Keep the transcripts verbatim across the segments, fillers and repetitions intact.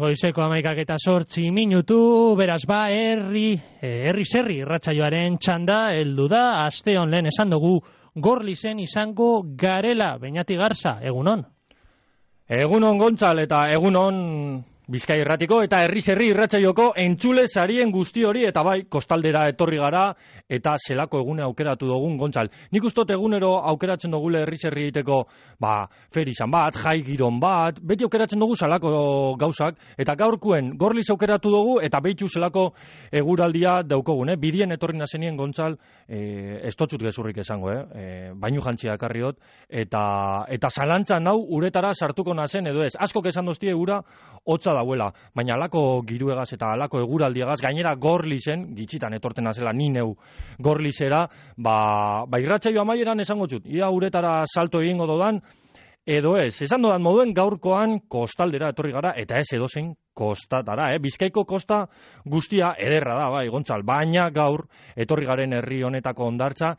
Goizeko hamaikak eta zortzi minutu, beraz ba, herri, herri zerri irratsaioaren txanda, heldu da, aste on lehen esan dugu, Gorlizen izango garela, Beñati Garza, egunon? Egunon Gontzal eta egunon Bizkai Irratiko eta herri zerri irratsaioko entzule sarien guzti hori eta bai, kostaldera etorri gara eta zelako egune aukeratu dugun Gontzal. Nik ustot egunero aukeratzen dugule herri zerri egiteko, ba, ferizan bat, jai giron bat, beti aukeratzen dugu zelako gauzak eta gaurkuen Gorliz aukeratu dugu eta behitu zelako eguraldia daukogun, eh? Bidien etorri nazenien Gontzal, eh, ez totzut gezurrik esango, eh? eh bainu jantzia ekarriot eta eta zalantzan hau uretara sartuko nazen edo ez. Askok esan doztie egura hotza dauela, baina alako giruegaz eta alako eguraldiagaz, gainera Gorlizen, gitxitan etorten azela ni neu Gorlizera, ba, ba irratsaio amaieran esango txut, ia uretara salto egingo dodan, edo ez, esan dodan moduen gaurkoan kostaldera etorri gara, eta ez edozein kostatara, eh? Bizkaiko kosta guztia ederra da, bai, Gontzal, baina gaur etorri garen herri honetako hondartza,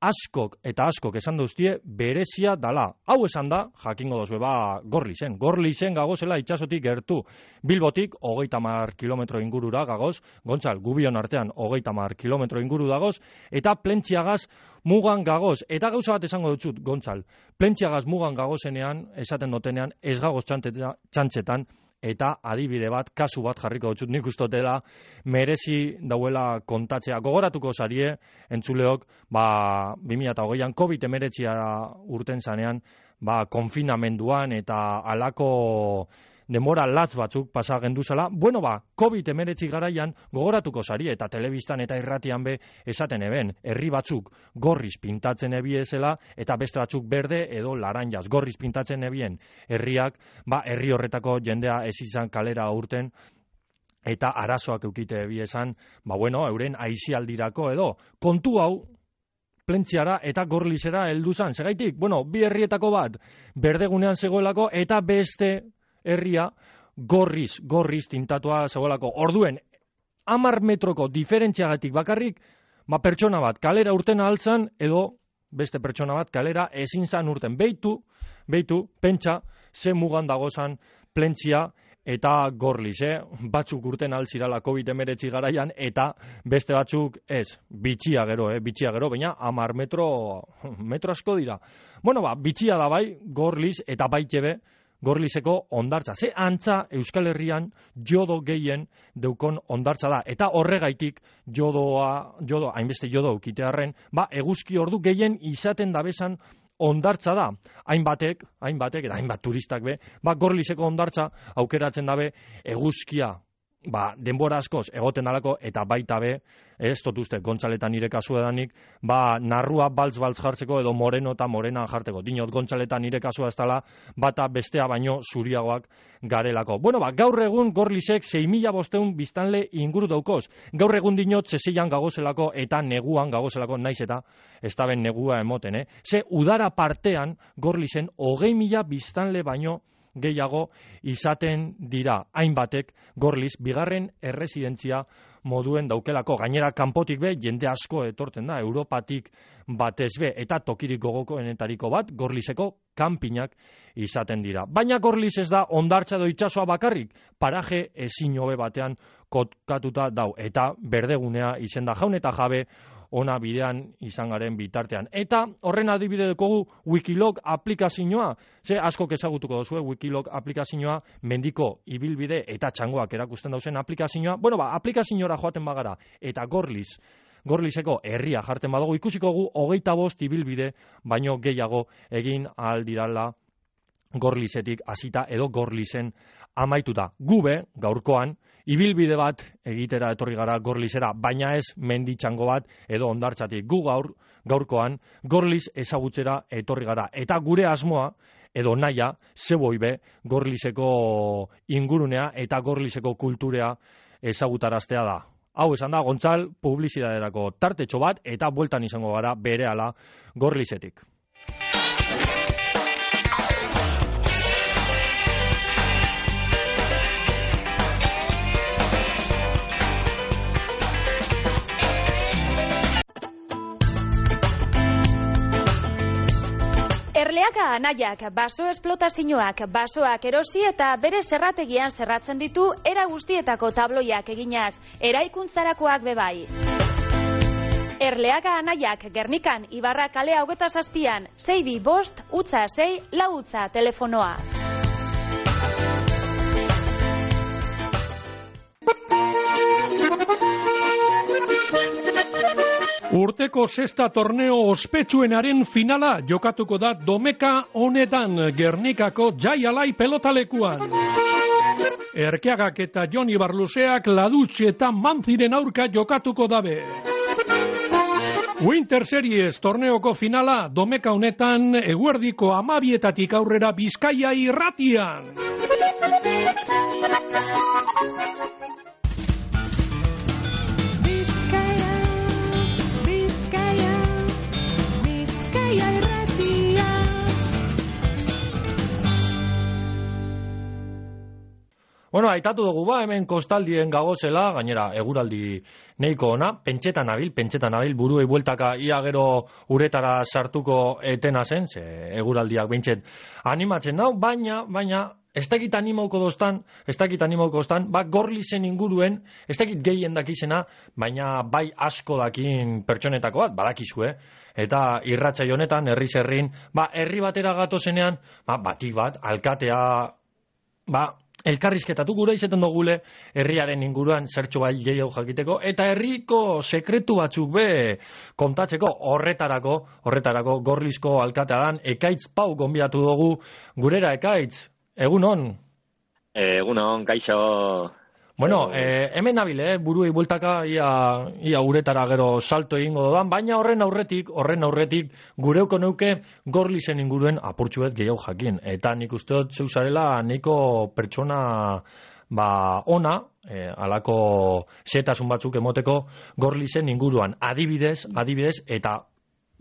askok eta askok esan duztie berezia dala. Hau esan da, jakingo dozue, ba, Gorlizen. Gorlizen gagozela itxasotik gertu. Bilbotik, hogeita hamar kilometro ingurura gagoz, Gontzal, gubion artean, hogeita hamar kilometro inguru dagoz, eta Plentziagaz mugan gagoz. Eta gauza bat esango dutxut, Gontzal, Plentziagaz mugan gagozenean, esaten dotenean, ez gagoz txantxetan, eta adibide bat, kasu bat jarriko dutxut, nik ustotela merezi dauela kontatzea. Gogoratuko zarie, entzuleok, ba, bi mila hogeian COVID hemeretzia urten zanean, ba, konfinamenduan eta alako denbora latz batzuk pasa genduzela. Bueno, ba, COVID hemeretzi garaian gogoratuko zari eta telebistan eta irratian be esaten eben, herri batzuk gorriz pintatzen ebiezela eta beste batzuk berde edo laranjaz gorriz pintatzen ebien herriak, ba, herri horretako jendea ez izan kalera urten eta arazoak eukite ebiezan, ba, bueno, euren aisialdirako edo kontu hau Plentziara eta Gorlizera heldu zan. Segaitik, bueno, bi herrietako bat berdegunean zegoelako eta beste herria gorriz, gorriz tintatua zegoelako. Orduen, hamar metroko diferentziagatik bakarrik, ba, pertsona bat kalera urten altzan, edo beste pertsona bat kalera ezin zan urten. Beitu, beitu, pentsa, ze mugan dagozan Plentzia eta Gorliz, eh? Batzuk urten altzirala COVID hemeretzi garaian, eta beste batzuk ez, bitxia gero, eh? bitxia gero, baina hamar metro, metro asko dira. Bueno, ba, bitxia da bai, Gorliz eta baitebe, Gorlizeko hondartza. Ze antza Euskal Herrian jodo gehien deukon hondartza da. Eta horregaitik jodoa, jodo, hainbeste jodo ukitearren, ba, eguzki ordu gehien izaten dabesan hondartza da. Hainbatek, hainbatek, eta hainbat turistak be, ba, Gorlizeko hondartza aukeratzen dabe eguzkia, ba, denbora askoz egoten alako, eta baita be, ez dut uste, Gontzaletan nire kasu edanik, ba, narrua baltz-baltz jartzeko edo moreno eta morena jartzeko. Dinot, Gontzaletan nire kasua ez dela, bata bestea baino zuriagoak garelako. Bueno, ba, gaur egun Gorlizek sei mila bosteun biztanle inguru daukoz. Gaur egun dinot, zeseian gagozelako eta neguan gagozelako, naiz eta ez da ben negua emoten, eh? Ze udara partean Gorlizen hogei mila biztanle baino gehiago izaten dira. Hainbatek Gorliz bigarren erresidentzia moduen daukelako. Gainera kanpotik be jende asko etorten da, Europatik batez be, eta tokirik gogokoenetariko bat Gorlizeko kanpinak izaten dira. Baina Gorliz ez da hondartza edo itsasoa bakarrik, paraje ezin hobe batean kokatuta dau, eta berdegunea izen da, jaun eta jabe ona bidean izan garen bitartean. Eta horren adibide dekogu Wikilog aplikazioa, ze askok ezagutuko duzue Wikilog aplikazioa, mendiko ibilbide eta txangoak erakusten dauzen aplikazioa. Bueno, ba, aplikaziora joaten bagara eta Gorliz, Gorlizeko herria jarten badugu, ikusiko gu hogeita bost ibilbide baino gehiago egin ahal dirala Gorlizetik hasita edo Gorlizen amaituta. Gube, gaurkoan, ibilbide bat egitera etorri gara Gorlizera, baina ez menditxango bat edo hondartzatik. Gu gaur, gaurkoan, Gorliz ezagutzera etorri gara. Eta gure asmoa, edo naia, zeboi be, Gorlizeko ingurunea eta Gorlizeko kulturea ezagutaraztea da. Hau esan da, Gontzal, publizidaderako tartetxo bat, eta bueltan izango gara berehala Gorlizetik. Erleaga anaiak baso esplotazioak basoak erosi eta bere zerrategian zerratzen ditu era guztietako tabloiak eginaz, eraikuntzarakoak bebai. Erleaga anaiak Gernikan Ibarra kalea hogeta zazpian, sei bi bost, utza sei, lau utza telefonoa. Urteko sexta torneo ospetsuenaren finala jokatuko da domeka honetan Gernikako Jai Alai pelotalekuan. Erkeagak eta Joni Barluseak Ladutxe eta Manziren aurka jokatuko dabe. Winter Series torneoko finala domeka honetan eguerdiko amabietatik aurrera Bizkaia irratian. Bueno, aitatu dugu ba, hemen kostaldien gagozela, gainera, eguraldi neiko ona, pentsetan nabil, pentsetan nabil, buruei bueltaka ia gero uretara sartuko etena zen, ze eguraldiak beintxet animatzen dau, baina, baina, ez dakit animauko dostan, ez dakit animauko dostan, ba, Gorlizen inguruen, ez dakit gehien dakizena, baina bai asko dakin pertsonetako bat, badakizue, eta irratsaio honetan, herri zerrin, ba, herri batera gatozenean, ba, batik bat, alkatea, ba, elkarrizketatu gure izaten dugule herriaren inguruan zertxo bai gehiago jakiteko eta herriko sekretu batzuk be kontatzeko horretarako, horretarako Gorlizko alkatean Ekaitz Pau gonbidatu dugu gurera. Ekaitz, egunon? Egunon, kaixo. Bueno, eh, hemen nabile, eh, buruei bueltaka ia, ia uretara gero salto egingo dodan, baina horren aurretik, horren aurretik gureuko neuke Gorlizen inguruen apurtxuet gehiago jakin. Eta nik uste dut zeuzarela niko pertsona ba, ona, eh, alako zetasun batzuk emoteko Gorlizen inguruan. Adibidez, adibidez, eta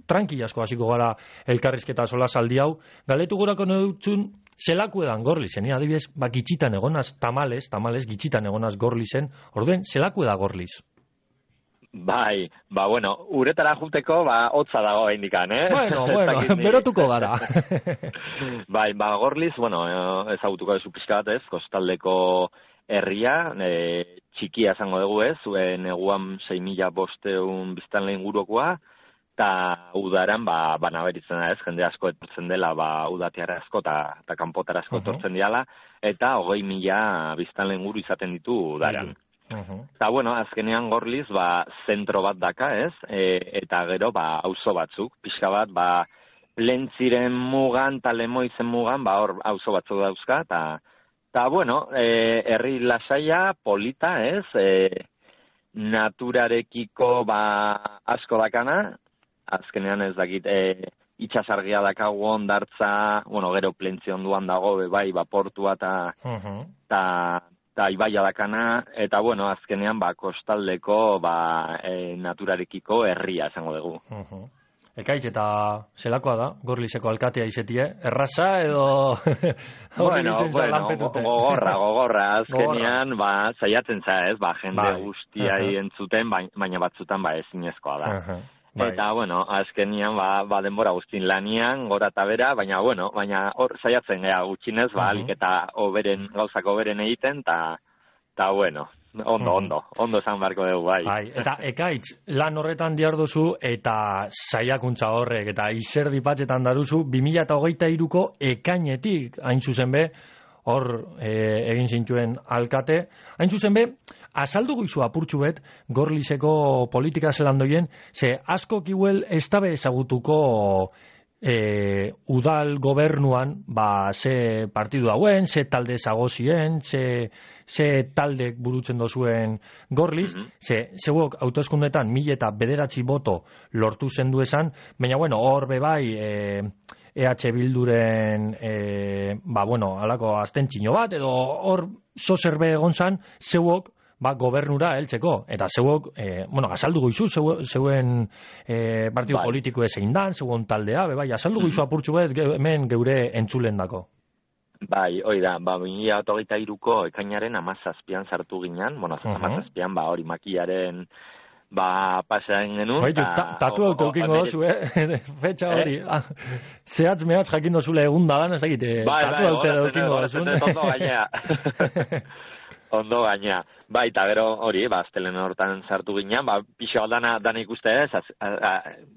tranquilasko hasiko gara elkarrizketa sola saldi hau, galetu gurako neutzun, zelaku edan Gorlizen, adibidez, ba, gitxitan egonaz, tamales, tamales, gitxitan egonaz Gorlizen, orduen, zelaku eda Gorliz? Bai, ba, bueno, uretara juteko, ba, hotza dago indikan, eh? Bueno, bueno, berotuko gara. Bai, ba, Gorliz, bueno, ezagutuko dezu pixka bat ez, kostaldeko herria, e, txikia esango dugu ez, zuen eguan sei mila bosteun biztanle ingurukoa, eta udaran, ba, banaberitzen da ez, jende asko etortzen dela, ba, udatiara asko eta ta kanpotara asko etortzen diala, eta hogei mila biztanle inguru izaten ditu udaran. Eta, bueno, azkenean Gorliz, ba, zentro bat daka ez, e, eta gero, ba, auzo batzuk, pixka bat, ba, Plentziren mugan, eta Lemoizen mugan, ba, hor, auzo batzuk dauzka, eta, eta, bueno, e, herri lasaia, polita ez, e, naturarekiko, ba, asko dakana, azkenean ez dakit, e, itxasargia dakago ondartza, bueno, gero Plentzi onduan dago, bai, ba, portua eta eta ibaia dakana, eta, bueno, azkenean, ba, kostaldeko, ba, e, naturarekiko herria, esango dugu. Uh-huh. Ekaitz, eta zelakoa da, Gorlizeko alkatea izetie, erraza edo... bueno, bueno, gogorra, gogorra, azkenean, ba, zaiatzen za ez, ba, jende bai. guztiai uh-huh. entzuten, baina batzutan, ba, ezinezkoa da. Uh-huh. Bai. Eta, bueno, azkenian, ba, ba denbora guztin lanian, gora eta bera, baina, bueno, baina hor saiatzen gea gutxinez, ba, alik eta oberen, gauzak oberen egiten, eta, eta, bueno, ondo, ondo, ondo esan beharko dugu, bai. Bai. Eta, Ekaitz, lan horretan diardozu, eta saiakuntza horrek, eta izerdi patxetan daruzu, bi mila hogeita hiruko ekainetik, hain zuzen be, hor e, egin zintuen alkate, hain zuzen be, azaldu guizu apurtxu bet, Gorlizeko politika zelandoien, ze asko kiuel ez dabe ezagutuko e, udal gobernuan, ba, ze partidu dauen, ze talde zagozien, ze, ze taldek burutzen dozuen Gorliz, mm-hmm. ze, zeuok hauteskundetan mila eta bederatzi boto lortu zendu esan, baina, bueno, hor bebai, e, E H Bilduren, e, ba, bueno, alako aztentzino bat, edo hor zozerbe egon zan, zeuok, ba, gobernura heltzeko, eta zeuok, e, bueno, azaldu goizu, zeu, zeuen e, partidu bai. Politiko ezein dan, zeuen taldea, be, bai, azaldu goizu mm-hmm. apurtxu bet, ge, hemen geure entzulen dako. Bai, hoi da, ba, bi mila hogeita hiruko ekainaren amazazpian sartu ginen, bueno, uh-huh. amazazpian, ba, hori makiaren, ba, pasean genuen. Baitu, ta, tatu auto eukingo dozu, eh? Fetxa hori. Eh? Zehatz mehatz jakin dozule egun dagan, ez dakite, bai, tatu bai, auto eukingo dozu. Ondo gainea. Ondo gainea. Bai, eta gero hori, ba, astelen hortan sartu ginen, ba, pixo dana, dana ikuste ez, az, a, a,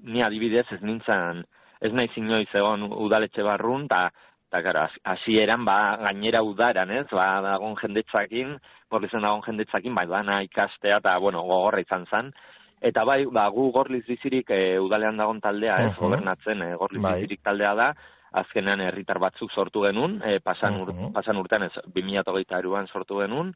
ni adibidez ez nintzen, ez nahi inoiz egon udaletxe barrun, eta Eta, gara, hasieran ba, gainera udaran, ez, ba, dagoen jendetzakin, gorlizen dagoen jendetzakin, bai, dana ikastea, eta, bueno, gogorra izan zen. Eta, bai, ba, gu gorliz bizirik e, udalean dagoen taldea, ez, uh-huh. gobernatzen, e, gorliz bai. bizirik taldea da, azkenean herritar batzuk sortu genuen, e, pasan, ur, uh-huh. pasan urtean, ez, bi mila hogeita hiruan sortu genuen,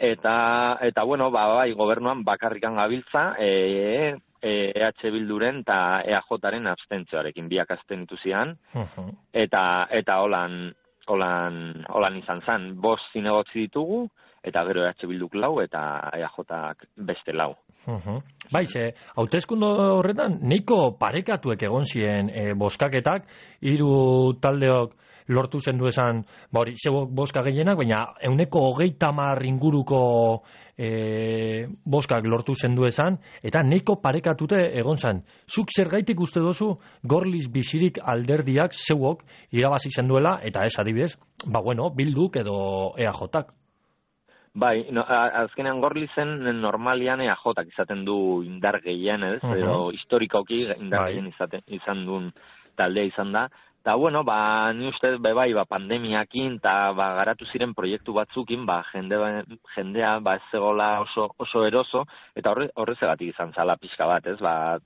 eta, eta, bueno, ba, bai, gobernuan bakarrikan gabiltza, e, E H Bilduren eta E A Jaren abstentzioarekin biak azten zian, uh-huh. eta eta holan, holan, holan izan zen, bost zinegotzi ditugu, eta gero E H Bilduk lau, eta E A Jak beste lau. Uh-huh. Bai, ze, hauteskunde horretan, neiko parekatuek egon ziren e, boskaketak, hiru taldeok lortu zendu esan, ba hori, zebok boska gehienak, baina euneko hogeita hamar inguruko e, boskak lortu zendu esan, eta neiko parekatute egon zen. Zuk zergaitik uste dozu Gorliz bizirik alderdiak zeuok irabazi zenduela, eta ez adibidez, ba bueno, Bilduk edo E A Jak. Bai, no, azkenean Gorlizen normalian E A Jak izaten du indar gehien, ez? Uh-huh. Edo historikoki indar bai. gehien izaten, izan duen taldea izan da. Eta, bueno, ba, ni uste, be, bai, ba, pandemiakin, eta, ba, garatu ziren proiektu batzukin, ba, jende, jendea, ba, ez zegoela oso, oso eroso, eta horre, horrezegatik izan zala pixka bat, ez, ba,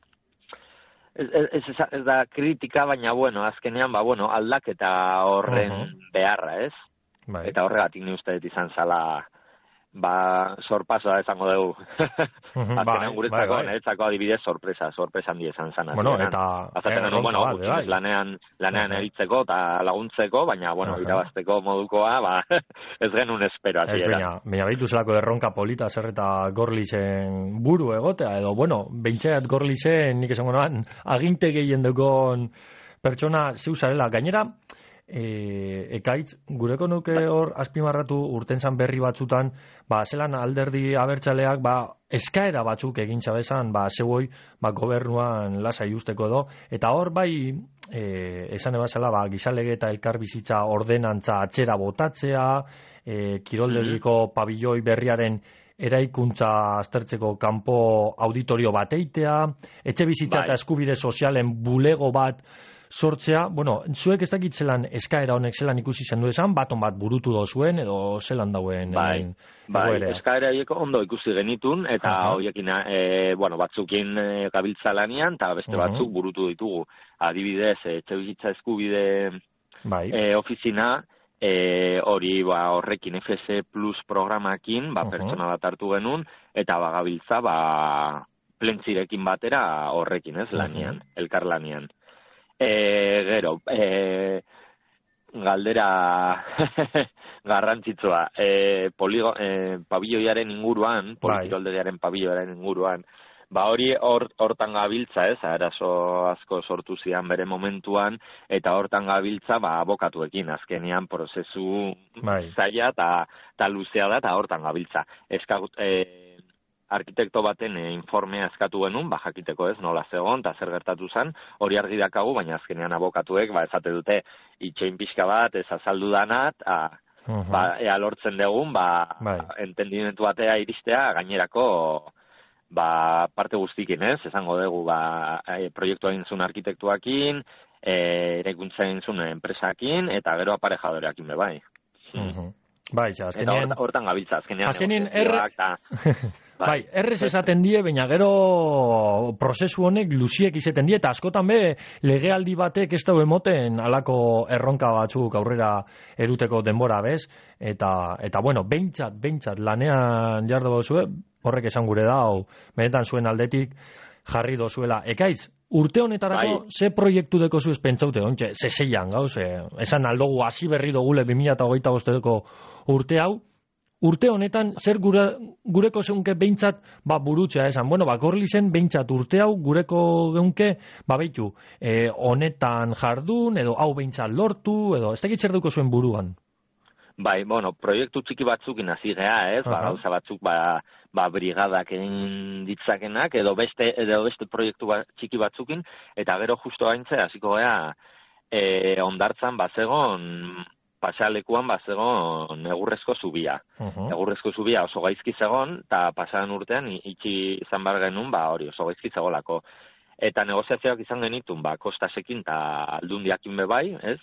ez, ez, ez, ez da kritika, baina, bueno, azkenean, ba, bueno, aldaketa horren uh-huh. beharra, ez? Bai. Eta horregatik ni uste izan zala, ba, sorpasoa esango dugu. Azkenean bai, guretzako, bai, bai. Neretzako adibidez sorpresa, sorpresa handi esan zan. Bueno, eta... Azaten genuen, bueno, bat, bai. lanean, lanean bai. eritzeko eta laguntzeko, baina, bueno, bai. irabazteko modukoa, ba, ez genuen espero. Ez, baina, baina behitu zelako erronka polita zer eta Gorlizen buru egotea, edo, bueno, behintzaiat Gorlizen, nik esango noan, aginte gehien dukon pertsona zeuzarela. Gainera, E, ekaitz, gureko nuke hor azpimarratu urtentzan berri batzutan, ba, zelan alderdi abertzaleak, ba, eskaera batzuk egin txabezan, ba, zeuoi, ba, gobernuan lasai usteko edo, eta hor bai, e, esan ebazela, ba, gizalege eta elkarbizitza ordenantza atxera botatzea, e, kiroldegiko pabilloi berriaren eraikuntza aztertzeko kanpo auditorio bateitea, etxe bizitza bai. eta eskubide sozialen bulego bat sortzea, bueno, zuek ez dakit zelan eskaera honek zelan ikusi zendu esan, baton bat burutu dozuen, edo zelan dauen? Bai, bai, eskaera hieko ondo ikusi genitun, eta uh-huh. hoiekin, e, bueno, batzukin e, gabiltza lanian, eta beste uh-huh. batzuk burutu ditugu. Adibidez, etxe bizitza eskubide bai. e, ofizina, e, hori ba, horrekin F S Plus programakin, ba, uh-huh. pertsona bat hartu genuen, eta ba, gabiltza, ba, plentzirekin batera horrekin, ez, lanian, uh-huh. elkar lanian. E, gero, e, galdera garrantzitsua, e, poligo, e, pabilloiaren inguruan, politikoldegiaren pabilloiaren inguruan, ba hori hortan gabiltza, ez, arazo asko sortu zian bere momentuan, eta hortan gabiltza, ba, abokatuekin, azkenean prozesu bai. zaila eta luzea da, eta hortan gabiltza. Eskagut, e, arkitekto baten e, informea eskatu genuen, ba, jakiteko ez, nola zegoen, eta zer gertatu zen, hori argi dakagu, baina azkenean abokatuek, ba, ezate dute, itxein pixka bat, ez azaldu danat, a, uh-huh. ba, ea lortzen dugun, ba, bai. entendimentu batea iristea, gainerako, ba, parte guztikin, ez, esango dugu, ba, e, proiektua egin zuen arkitektuakin, e, eraikuntza egin zuen enpresakin, eta gero aparejadoreakin be, bai. Uh-huh. Bai, ja, azkenean... Eta hortan gabiltza, azkenean... Azkenean, erre... Bai, errez esaten die, baina gero prozesu honek luziek izaten die, eta askotan be, legealdi batek ez dago emoten alako erronka batzuk aurrera eruteko denbora, bez? Eta, eta bueno, behintzat, behintzat, lanean jardo zuen, horrek esan gure da, hau, benetan zuen aldetik jarri dozuela. Ekaitz, urte honetarako, bai. ze proiektu deko zuez pentsaute, ontxe, ze zeian, gauz, e, esan aldogu hasi berri dogule bi mila hogeita bosteko urte hau, urte honetan, zer gure, gureko zeunke behintzat, ba, burutzea esan, bueno, ba, Gorlizen behintzat urte hau, gureko geunke, ba, behitu, e, honetan jardun, edo hau behintzat lortu, edo, ez dakit zer duko zuen buruan? Bai, bueno, proiektu txiki batzukin hasi gea, ez? Ba, gauza batzuk ba ba brigadak egin ditzakenak edo beste edo beste proiektu ba, txiki batzukin eta gero justo gaintze hasiko gea eh Hondartzan bazegon pasealekuan bazegon egurrezko zubia. Uh-huh. Egurrezko zubia oso gaizki zegon eta pasadan urtean itxi izan bar genuen ba hori oso gaizki zegolako. Eta negoziazioak izan genitun ba Kostasekin ta Aldundiakin be bai, ez?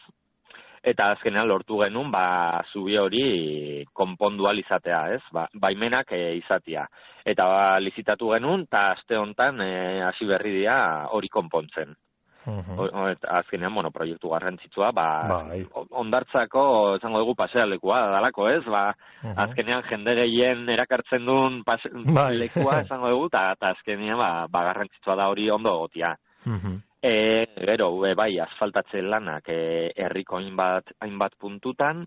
Eta azkenean lortu genuen, ba, zubi hori konpondu izatea, ez? Ba, baimenak e, izatea. Eta ba, lizitatu genuen, eta aste honetan e, hasi berri dira hori konpontzen. Uh-huh. Eta azkenean, bueno, proiektu garrantzitsua, ba, bai. Hondartzako, zango dugu, pasealekua dalako, ez? Ba, uh-huh. Azkenean jende gehien erakartzen duen pase, bai. Lekua, zango dugu, eta azkenean, ba, ba, garrantzitsua da hori ondo egotia. Uh-huh. E, gero, e, bai, asfaltatze lanak e, herriko hainbat, hainbat puntutan,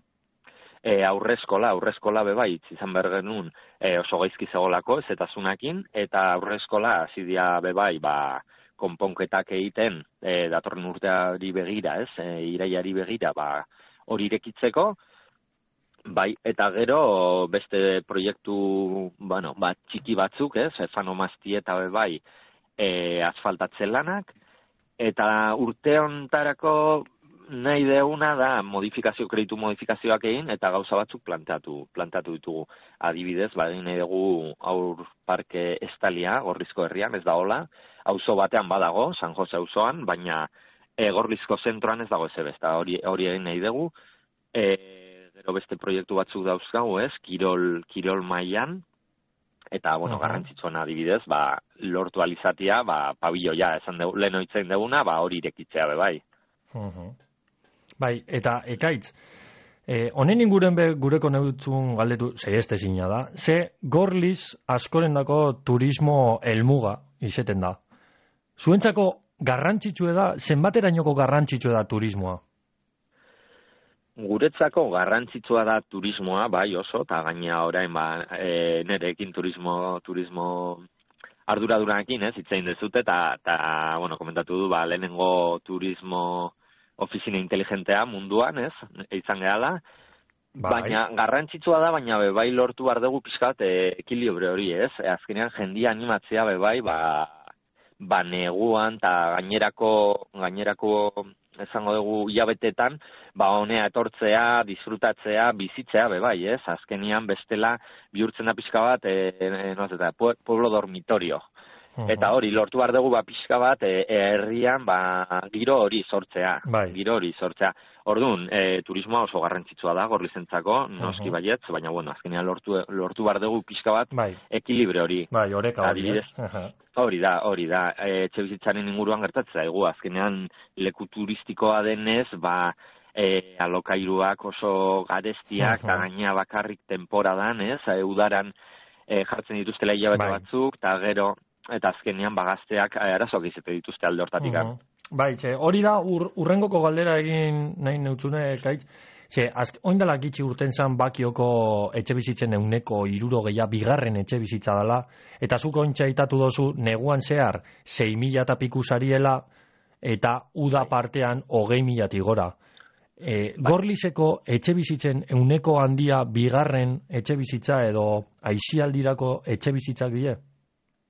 e, aurreskola, aurreskola be bai, izan behar genuen e, oso gaizki zegolako, zetasunakin, eta aurreskola hasidia be bai, ba, konponketak egiten, e, datorren urteari begira, ez, e, iraiari begira, ba, hori irekitzeko, bai, eta gero beste proiektu, bueno, ba, txiki batzuk, ez, efanomazti eta be bai, e, asfaltatze lanak, eta urte hontarako nahi deuna da modifikazio, kreditu modifikazioak egin, eta gauza batzuk planteatu, planteatu ditugu. Adibidez, ba, egin nahi dugu aur parke estalia, Gorlizko herrian, ez da hola, auzo batean badago, San Jose auzoan, baina e, Gorlizko zentroan ez dago ez ebesta, hori, hori egin nahi dugu. E, gero beste proiektu batzuk dauzkagu, ez, kirol, kirol mailan, eta, bueno, uh-huh. Garrantzitsuena adibidez, ba, lortu alizatia, ba, pabilloia, esan dugu, lehen oitzen duguna, ba, hori irekitzea be bai. Uh-huh. Bai, eta ekaitz, honen eh, inguren be gureko neutzun galdetu, ze ez tezina da, ze Gorliz askorendako turismo helmuga izeten da. Zuentzako garrantzitsue da, zenbaterainoko garrantzitsue da turismoa? Guretzako garrantzitsua da turismoa, bai oso, eta gaina orain ba, e, nerekin turismo, turismo arduraduranekin, ez, itzein dezute, eta, eta, bueno, komentatu du, ba, lehenengo turismo ofizina inteligentea munduan, ez, izan gehala, bai. Baina garrantzitsua da, baina be, bai lortu behar dugu pixkat e, ekilibre hori, ez, e, azkenean jendia animatzea, be, bai, ba, ba neguan, eta gainerako, gainerako, esango dugu hilabetetan, ba honea etortzea, disfrutatzea, bizitzea be bai, ez? Azkenian bestela bihurtzen da pixka bat, eh, e, no eta pueblo dormitorio. Uh-huh. Eta hori lortu behar dugu ba pixka bat e, herrian ba giro hori sortzea, bai. Giro hori sortzea. Orduan, e, turismoa oso garrantzitsua da Gorlizentzako, noski uh-huh. baietz, baina bueno, azkenean lortu lortu behar dugu pixka bat bai. Ekilibre hori. Bai, oreka hori. Uh-huh. Hori da, hori da. Etxe bizitzaren inguruan gertatzea egu, azkenean leku turistikoa denez, ba e, alokairuak oso garestiak, eta uh-huh. gaina bakarrik temporadan, ez? E, udaran e, jartzen dituztela hilabete bai. Batzuk, eta gero eta azkenean bagazteak arazoak izate dituzte alde hortatik. Uh-huh. Bai, txe, hori da ur, urrengoko galdera egin nahi neutzune, kaitz. Ze, oindala gitxi urten zan bakioko etxe bizitzen euneko iruro gehiago bigarren etxe bizitza dela, eta zuko ointxa itatu dozu neguan zehar sei mila eta piku sariela, eta uda partean hogei milatik gora. E, Gorlizeko etxe bizitzen euneko handia bigarren etxe bizitza edo aizialdirako etxe bizitzak die?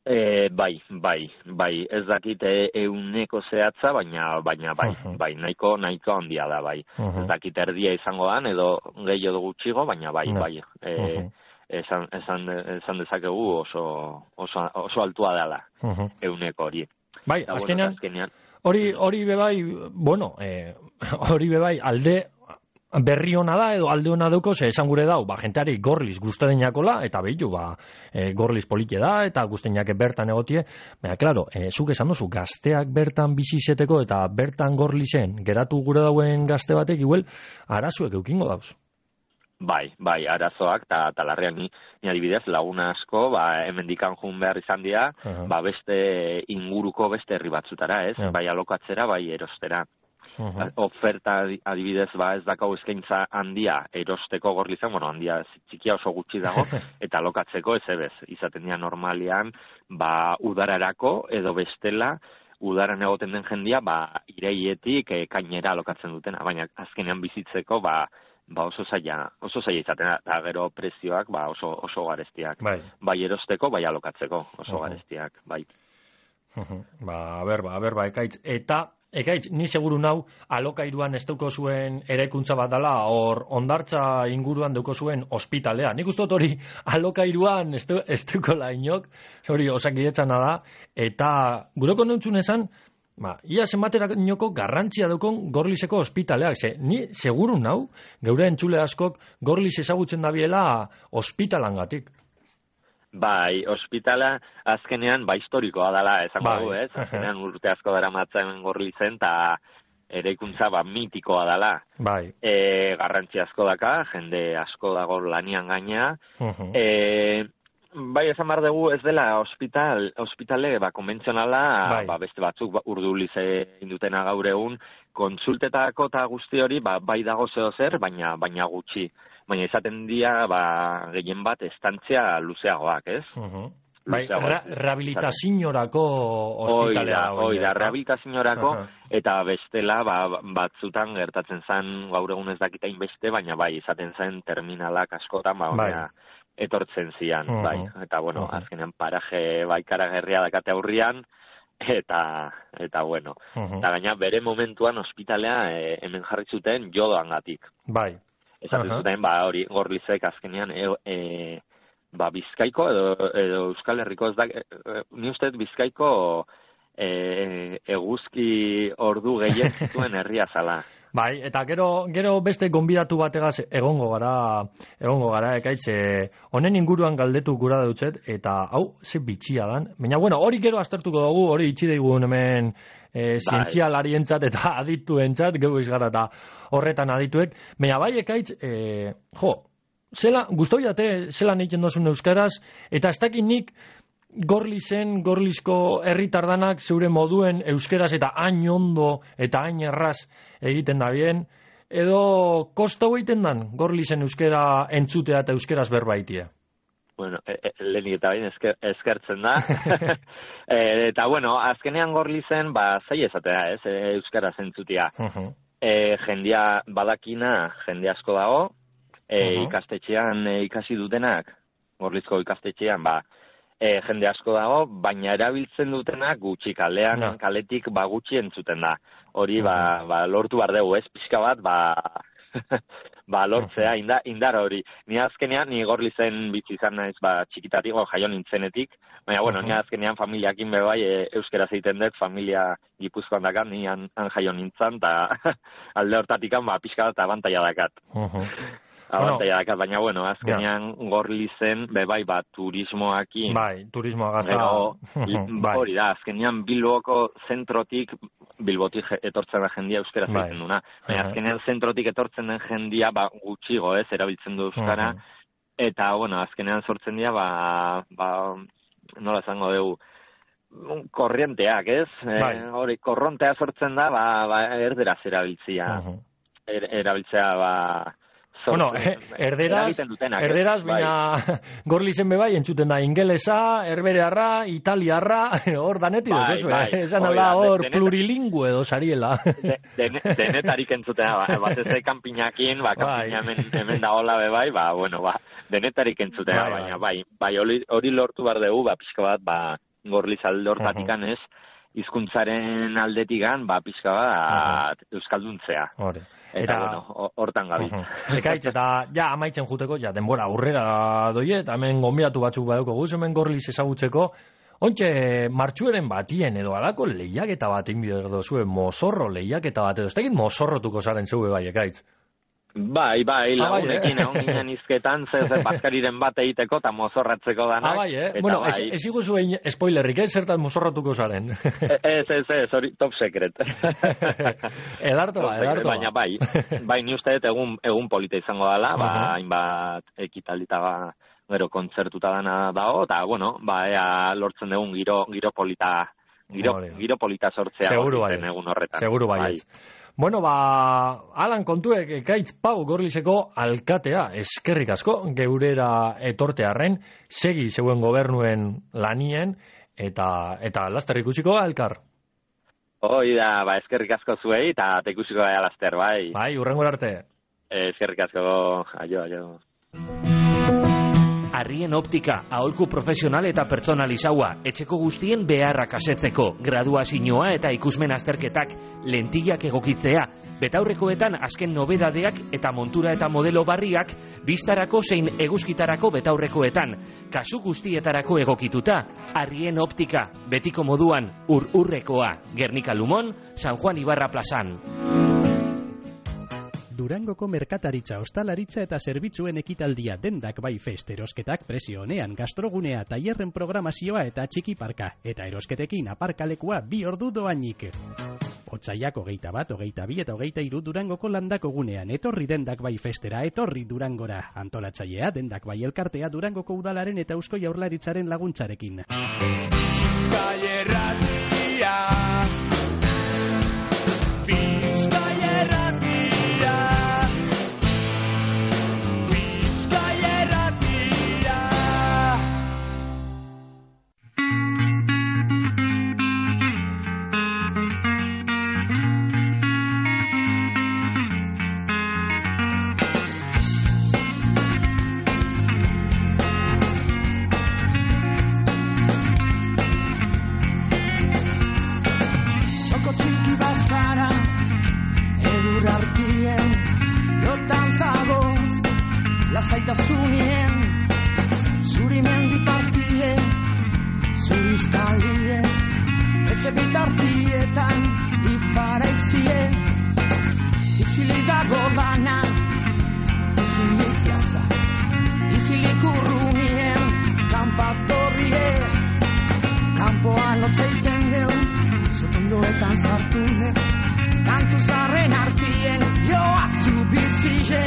E, bai, bai, bai, ez dakit euneko zehatza, baina, baina bai, uh-huh. bai, nahiko, nahiko handia da, bai. Uh-huh. Ez dakit erdia izango dan, edo gehiago gutxigo, baina bai, uh-huh. bai. E, uh-huh. esan, esan, esan dezakegu oso, oso, oso altua dela, uh-huh. euneko hori. Bai, eta, azkenean, bueno, azkenean, hori, hori bebai, bueno, eh, hori bebai, alde, berri hona da edo alde hona duko, ze esan gure dau, ba, jenteari Gorliz guztedeinakola, eta behitu, ba, e, Gorliz polite da, eta guzteinak bertan egotie, baina, klaro, e, zuk esan duzu, gazteak bertan bizizeteko, eta bertan Gorlizen geratu gure dauen gazte batek, igual, arazuek eukingo dauz. Bai, bai, arazoak, eta talarrean ni, ni adibidez, laguna asko, ba, hemendikan jun behar izan dira, uh-huh. ba, beste inguruko beste herri batzutara, ez? Uh-huh. Bai alokatzera, bai erostera. Uh-huh. Oferta adibidez ba ez dakau eskaintza handia erosteko Gorlizan, bueno, handia txikia oso gutxi dago, eta alokatzeko ez ebez, izaten dira normalian, ba udararako edo bestela, udaran egoten den jendia, ba iraietik e, kainera alokatzen dutena, baina azkenean bizitzeko, ba ba oso zaila, oso zaila izaten, eta gero prezioak ba oso, oso garestiak. Bai. Bai erosteko, bai alokatzeko, oso Uh-huh. garestiak, bai. Uh-huh. Ba, a ber, ba, a ber, ba, ekaitz. Eta, ekaitz, ni seguru nau, alokairuan ez dauko zuen eraikuntza bat dela, hor ondartza inguruan dauko zuen ospitalea. Nik uste dut hori alokairuan ez du- ez dauko la inok, hori osakidetzana da, eta guroko nontzun esan, ba, ia zenbaterainoko garrantzia daukon Gorlizeko ospitaleak. Ze, ni seguru nau, geure entzule askok Gorliz ezagutzen dabiela ospitalangatik. Bai, ospitala azkenean ba historikoa dela, esango Bai. dugu, ez? Azkenean urte asko dara matzen Gorlizen, eta eraikuntza ba mitikoa dela. Bai. E, garrantzi asko daka, jende asko dago lanian gaina. Uh-huh. E, bai, esan behar dugu ez dela ospital, ospitale ba, konbentzionala, Bai. ba, beste batzuk ba, urdulize indutena gaur egun, kontsultetako eta guzti hori ba, bai dago zeo zer, baina, baina gutxi. Baina izaten dira ba, gehien bat estantzia luzeagoak, ez? Uh-huh. Bai, Luzeagoak. ra rehabilitaziorako ospitalea. Oida, oida, rehabilitaziorako, Aha. eta bestela ba, batzutan gertatzen zen gaur egun ez dakita inbeste, baina bai, izaten zen terminalak askotan, ba, Bai. honea, etortzen zian, Mhm. bai. Eta, bueno, Mhm. azkenean paraje baikara gerria dakate aurrian, eta, eta bueno. Uh-huh. Eta gaina bere momentuan ospitalea e, hemen jarri zuten jodoangatik. Bai. Esaten Aha. zuten, ba, hori, Gorlizek azkenean, e, e, ba, Bizkaiko edo, edo Euskal Herriko, ez da, e, e, ni uste dut Bizkaiko e, eguzki ordu gehien zituen herria zala. Bai, eta gero gero beste gonbidatu bategaz egongo gara, egongo gara ekaitze. Honen inguruan galdetu gura dutzet eta hau ze bitxia dan. Baina bueno, hori gero aztertuko dugu, hori itxi daigun hemen e, zientzialarientzat eta adituentzat, geu izgara eta horretan adituek. Baina bai ekaitz, e, jo, zela, gustoi ate, zelan egiten dozun euskaraz, eta ez dakit nik Gorlizen, Gorlizko herritardanak zeure moduen euskeraz eta hain ondo eta hain erraz egiten da bien, edo kostau egiten dan Gorlizen euskera entzutea eta euskeraz berbaitia. Bueno, e, e, lehenik eta bain esker, eskertzen da. e, eta bueno, azkenean Gorlizen, ba, zai esatea, ez, e, euskara zentzutia. Uh-huh. E, jendia badakina, jende asko dago, e, Uh-huh. ikastetxean e, ikasi dutenak, Gorlizko ikastetxean, ba, e, jende asko dago, baina erabiltzen dutenak gutxi kalean, Ja. kaletik ba gutxi entzuten da. Hori ba, ba lortu bar dugu, ez, pixka bat, ba, ba lortzea, inda, indar hori. Ni azkenean, ni Gorlizen bizi izan naiz, ba, txikitatik, o, jaio nintzenetik, baina, bueno, ni azkenean familiakin be bai, e, euskera zeiten dut, familia Gipuzkoan dakat, ni han, han jaio nintzen, eta alde hortatikan, ba, pixka bat abantaia dakat. Uh-huh. Abantaia dakat, baina, bueno, azkenean Gorlizen, be bai, ba, turismoakin, Bai, turismoa gazta. gero, bai. hori da, azkenean Bilboko zentrotik, Bilbotik je- etortzen da jendia euskara Bai. zaiten duna. Baina Aha. azkenean zentrotik etortzen den jendia, ba, gutxigo, ez, erabiltzen du euskara, Mhm. eta, bueno, azkenean sortzen dira, ba, ba, nola esango dugu, korrienteak, ez? Bai. E, hori, korrontea sortzen da, ba, ba erderaz erabiltzia. Uh-huh. Er, erabiltzea, ba, Bueno, sortzen- erderaz, eragiten dutenak, ez? erderaz, Bai. baina Gorlizen bebai entzuten da ingelesa, herberearra, italiarra, hor danetik Bai, dut, bai, esan hori ala da, hor denetan- plurilingüe edo sariela. De, dene, denetarik entzutena, ba, bat ez da kanpinakin, ba, Bai. kanpina hemen, hemen da hola be bai, ba, bueno, ba, denetarik entzutena, Bai, baina, bai, bai, hori, hori lortu behar dugu, ba, pixka bat, ba, Gorliz alde hortatikan ez, hizkuntzaren aldetikan, ba, pixka bat, euskalduntzea. Hori. Eta, bueno, ho- hortan gabiz. Uh-huh. Ekaitz, eta ja amaitzen juteko, ja denbora aurrera doie, eta hemen gonbidatu batzuk badauko guz, hemen Gorliz ezagutzeko, ontxe martxueren batien edo alako lehiaketa bat inbide edo zuen, mozorro lehiaketa bat edo, ez tegin mozorrotuko zaren zeue bai, Ekaitz. Bai, bai, Ah, bai, lagunekin eh? egon ginen izketan, zer zer bazkariren bat egiteko eta mozorratzeko danak. Ah, bai, eh? Eta Bueno, bai. ez, ez iguzu egin spoilerrik, eh? Zertan mozorrotuko zaren. Ez, ez, ez, hori top secret. Edarto ba, edarto ba. Baina bai, bai ni uste dut egun, egun polita izango dela, ba, Mhm. hainbat ekitaldita ba, gero kontzertuta dana dago, eta, bueno, ba, ea lortzen dugun giro, giro polita, giro, Hori da. giro polita sortzea Seguru Gorlizen bai. egun horretan. Seguru bai. Bueno, ba, Alan kontuek Ekaitz Pau Gorlizeko alkatea, eskerrik asko, geurera etortearren, segi zeuen gobernuen lanien, eta eta laster ikusiko ga, elkar. Hoi da, ba, eskerrik asko zuei, eta tekusiko da laster, bai. Bai, urrengor arte. Eskerrik asko, aio, aio. Arrien optika, aholku profesional eta pertsonalizaua, etxeko guztien beharrak asetzeko, graduazioa eta ikusmen azterketak, lentillak egokitzea, betaurrekoetan azken nobedadeak eta montura eta modelo barriak, biztarako zein eguzkitarako betaurrekoetan, kasu guztietarako egokituta, Arrien optika, betiko moduan, ur-urrekoa, Gernika Lumon, San Juan Ibarra plazan. Durangoko merkataritza, ostalaritza eta zerbitzuen ekitaldia dendak bai fest erosketak prezio honean gastrogunea, tailerren programazioa eta txiki parka, eta erosketekin aparkalekua bi ordu doainik. Otsaiak hogeita bat, hogeita bi eta hogeita hiru Durangoko landako gunean, etorri dendak bai festera, etorri Durangora. Antolatzailea dendak bai elkartea Durangoko udalaren eta Eusko Jaurlaritzaren laguntzarekin. Bizkaierratia, Bizkaierratia. Zaitasunien, zuri mendi partie, zuri izkalie, etxe bitartietan, ifaraizie, izilik dago dana, izilik plaza, izilik urrunien, kanpatorrie, kanpoan lotzeiten geu, zotondoetan zartune, kantu zarren artien, joa zubizile.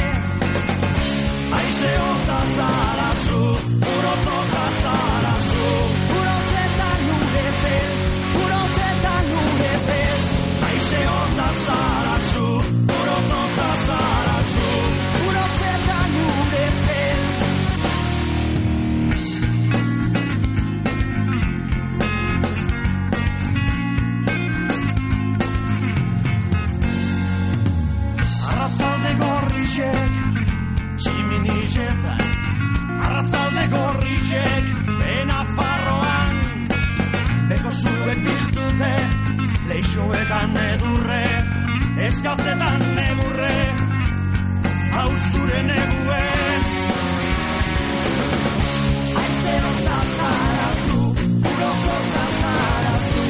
Aize hota zarazu, urotzota zarazu, urotzetan nure pel, urotzetan nure pel. Aize hota zarazu, urotzota zarazu, urotzetan nure pel. Arratzalde gorrizek, tximinizetan, arratzalde gorrizek, bena farroan, beko zuek biztute, leixoetan edurre, eskatzetan negurre, hau zure neguen. Aize hotza zarazu, urotza zarazu,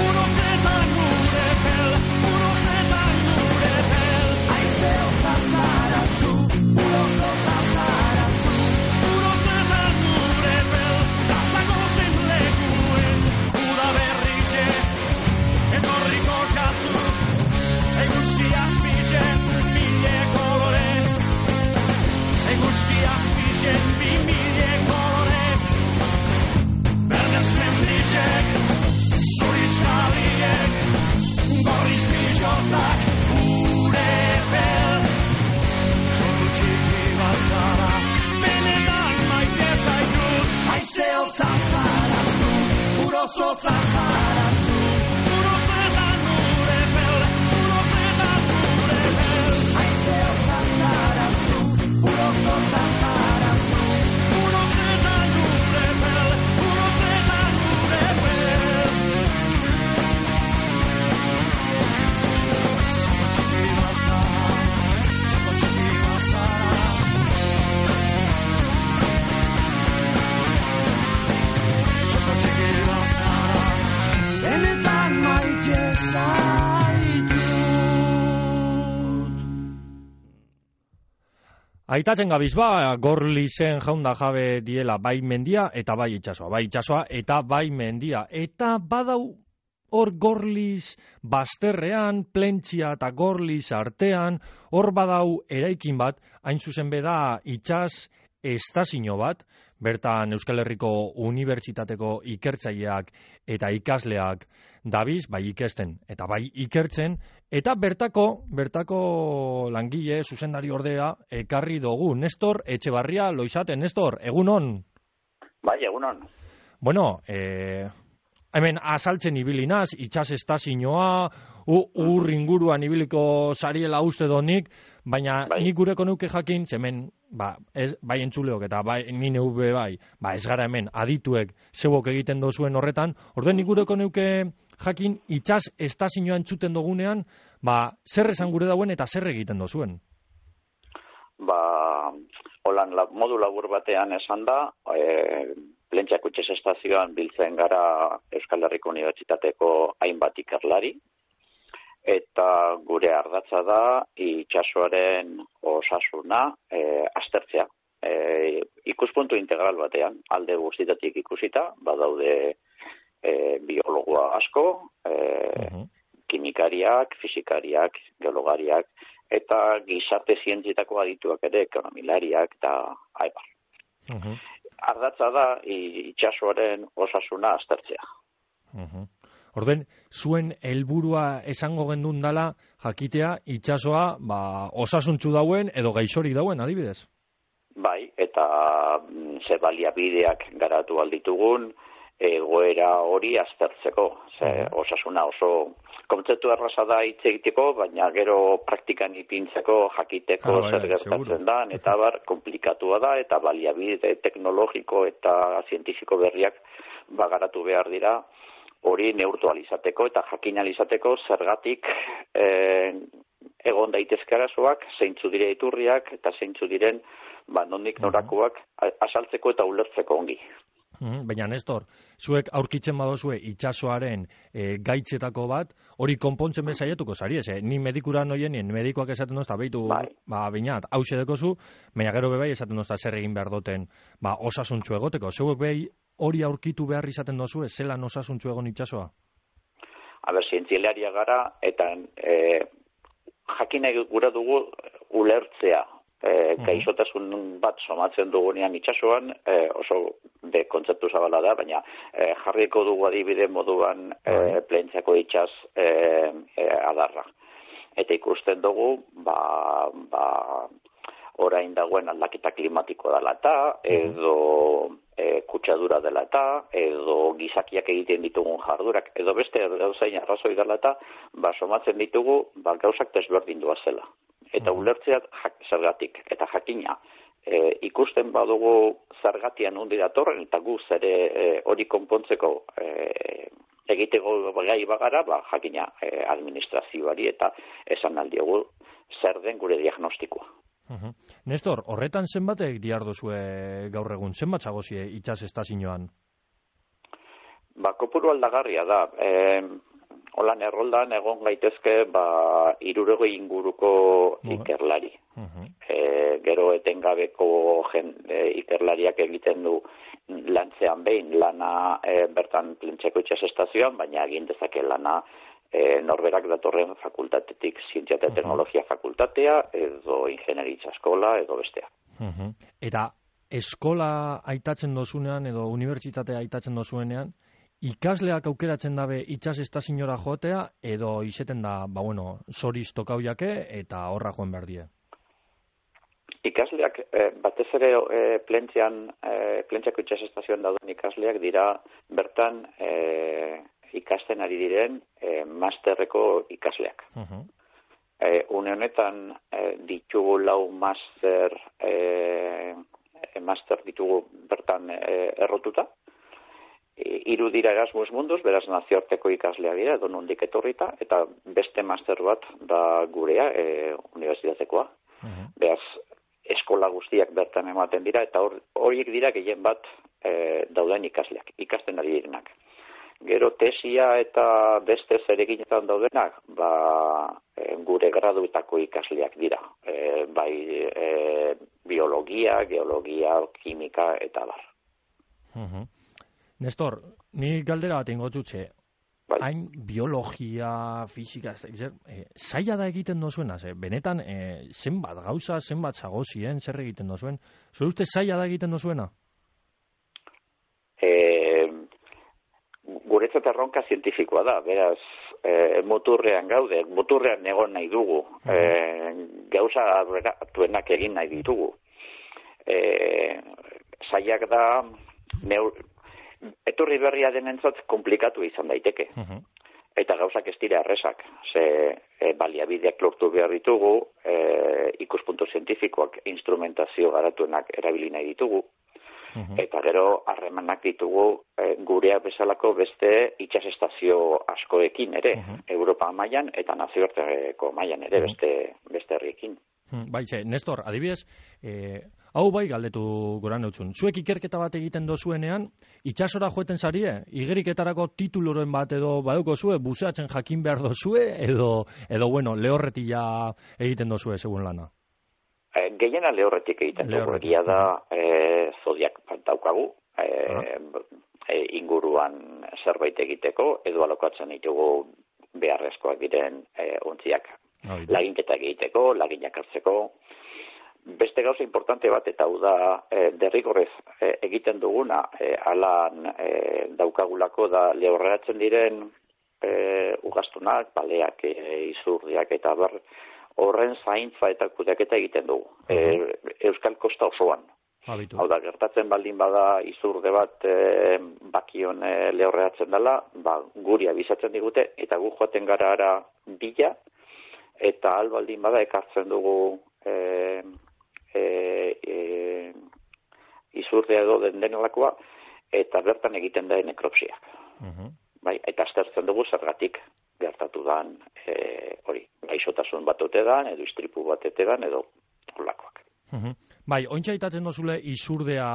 urotzetan nure pel, urotzetan nure pel. Aize hotza zarazu, urotza zarazu, urotzetan nure pel, dasako zen lekuen, uda berrize, etorriko jatzu, eguzki azpizen, mile kolore, eguzki azpizen, bi mile kolore, berdez mendizek, zuriz jaliek, gorriz bizotzak, gure pel. Txiki bazara, benetan maite zaitut. Aize hotza zarazu, urotza zarazu, urotzetan nure pel, urotzetan nure pel. Aize hotza zarazu, urotza zarazu, urotzetan nure pel, urotzetan nure pel. Txiki bazara, txiki bazara. Benetan maite zaitut. Aitatzen gabiz ba, Gorlizen jaunda jabe diela bai mendia eta bai itsasoa, bai itsasoa eta bai mendia. Eta badau hor Gorliz bazterrean, Plentzia eta Gorliz artean, hor badau eraikin bat, hain zuzen beda itsas estazio bat, bertan Euskal Herriko Unibertsitateko ikertzaileak eta ikasleak dabiz, bai ikesten eta bai ikertzen, eta bertako, bertako langile, zuzendari ordea, ekarri dugu. Nestor Etxebarria Loizaten. Nestor, egunon? Bai, egunon. Bueno, eh, hemen azaltzen ibilinaz, itsas estazioa, ur inguruan ibiliko sariela uste donik, Baina Bai. nik gureko nuke jakin, hemen ba, ez, bai entzuleok eta bai ni neube bai, ba ez gara hemen adituek zeuok egiten dozuen horretan, orduan nik gureko nuke jakin itsas estazioa entzuten dugunean, ba zer esan gure dauen eta zer egiten dozuen. Ba, holan la, modu labur batean esan da, e, Plentziako itxas estazioan biltzen gara Euskal Herriko Unibertsitateko hainbat ikerlari, eta gure ardatza da itsasoaren osasuna e, aztertzea. E, ikuspuntu integral batean, alde guztietatik ikusita, badaude e, biologoa asko, e, uh-huh. kimikariak, fisikariak, geologariak, eta gizarte zientzietako adituak ere, ekonomilariak eta aibar. Uh-huh. Ardatza da itsasoaren osasuna aztertzea. Uh-huh. Orden, zuen helburua esango gendun dala jakitea itsasoa ba, osasuntzu dauen edo gaixorik dauen, adibidez? Bai, eta ze baliabideak garatu alditugun egoera hori aztertzeko. Ze osasuna oso kontzeptu erraza da hitz egiteko, baina gero praktikan ipintzeko jakiteko ah, zer gertatzen da, eta bar, komplikatua da, eta baliabide teknologiko eta zientifiko berriak bagaratu behar dira, hori neurtu alizateko eta jakin alizateko zergatik eh, egon daitezke arazoak, zeintzu dire iturriak eta zeintzu diren ba, nondik norakoak asaltzeko eta ulertzeko ongi. Mm, baina, Nestor, zuek aurkitzen badozue itsasoaren e, gaitzetako bat, hori konpontzen bezaiatuko zari, ez, eh? Ni medikura noien, medikoak esaten dozta, behitu, bai. ba, bainat, hause dekozu, baina gero bebai esaten dozta zer egin behar duten, ba, osasuntzu egoteko. Zeuek behi hori aurkitu behar izaten dozue, zelan osasuntzu egon itsasoa? A ber, zientzialaria gara, eta e, jakin gura dugu ulertzea. E, gaixotasun bat somatzen dugunean itsasoan, e, oso de kontzeptu zabala da, baina e, jarriko dugu adibide moduan e, Plentziako itsas e, e, adarra. Eta ikusten dugu, ba, ba, orain dagoen aldaketa klimatiko dela eta, edo e, kutsadura dela eta, edo gizakiak egiten ditugun jardurak, edo beste gauzain arrazoi dela eta, ba, somatzen ditugu, ba, gauzak desberdindua zela. Eta ulertzea zergatik, eta jakina. E, ikusten badugu zergatian hundi datorren, eta guz ere e, hori konpontzeko e, egiteko gai bagara, ba, jakina e, administrazioari eta esan aldiogu zer den gure diagnostikoa. Uh-huh. Nestor, horretan zenbatek diardozue gaur egun, zenbat zagozie itsas estazioan? Ba, kopuru aldagarria da. E, Holan erroldan egon gaitezke ba, hirurogei inguruko uh-huh. ikerlari. Uh-huh. E, gero etengabeko jen, e, ikerlariak egiten du lantzean behin lana e, bertan Plentziako itsas estazioan, baina egin dezake lana e, norberak datorren fakultatetik, zientzia eta uh-huh. teknologia fakultatea, edo ingenieritza eskola, edo bestea. Uh-huh. Eta eskola aitatzen dozunean, edo unibertsitatea aitatzen dozuenean, ikasleak aukeratzen dabe itsas estazioara joatea, edo izeten da, ba bueno, zoriz tokau jake, eta horra joan behar die? Ikasleak, eh, batez ere eh, Plentzian, eh, Plentziako itsas estazioan dauden ikasleak dira bertan eh, ikasten ari diren eh, masterreko ikasleak. Uh-huh. Eh, une honetan eh, ditugu lau master, eh, master ditugu bertan eh, errotuta, hiru dira Erasmus Mundus, beraz nazioarteko ikasleak dira, edo nondik etorrita, eta beste master bat da gurea, e, unibertsitatekoa. Uh-huh. Beraz, eskola guztiak bertan ematen dira, eta horiek dira gehien bat e, dauden ikasleak, ikasten ari direnak. Gero tesia eta beste zereginetan daudenak, ba, e, gure graduetako ikasleak dira. E, bai e, biologia, geologia, kimika eta bar. Uh-huh. Nestor, ni galdera bat ingo txutxe, bai. Hain biologia, fisika, e, zaila da egiten dozuena, ze, benetan e, zenbat gauza, zenbat zagozien, zer egiten dozuen, zure uste zaila da egiten dozuena? E, guretzat erronka zientifikoa da, beraz, e, muturrean gaude, muturrean egon nahi dugu, uh-huh. e, gauza aberatuenak egin nahi ditugu. E, zailak da, neur, etorri berria denentzat komplikatu izan daiteke. Uh-huh. eta gauzak ez dira erresak, ze e, baliabideak lortu behar ditugu, e, ikuspuntu zientifikoak, instrumentazio garatuenak erabili nahi ditugu, uh-huh. eta gero harremanak ditugu e, gurea bezalako beste itsasestazio askoekin ere, uh-huh. Europa mailan eta nazioarteko mailan ere, uh-huh. beste, beste herriekin. Bai, ze, Nestor, adibidez, eh, hau bai galdetu goran eutzun. Zuek ikerketa bat egiten dozuenean, itsasora joeten zarie, igeriketarako tituluren bat edo baduko zue, buzeatzen jakin behar dozue, edo, edo bueno, lehorretila egiten dozue, segun lana? E, gehiena lehorretik egiten dugu, egia da e, zodiak daukagu, e, uh-huh. e, inguruan zerbait egiteko, edo alokatzen ditugu beharrezkoak diren e, ontziak. Laginketa egiteko, laginak hartzeko. Beste gauza importante bat, eta hau da e, derrigorrez e, egiten duguna, e, alan e, daukagulako da lehorreratzen diren e, ugastunak, baleak, e, izurdiak eta bar, horren zaintza eta kudeaketa egiten dugu. Uh-huh. E, Euskal Kosta osoan. Habitu. Hau da, gertatzen baldin bada izurde bat e, bakion e, lehorreratzen dela, ba, guri abizatzen digute, eta gu joaten gara ara bila, eta albaldin bada ekartzen dugu e, e, e, izurdea edo den denelakoa, eta bertan egiten da nekropsiak. Uh-huh. Bai, eta aztertzen dugu zergatik gertatu dan e, hori, gaixotasun bat ote dan, edo istripu bat ote dan, edo holakoak. Uh-huh. Bai, ointxa itatzen dozule izurdea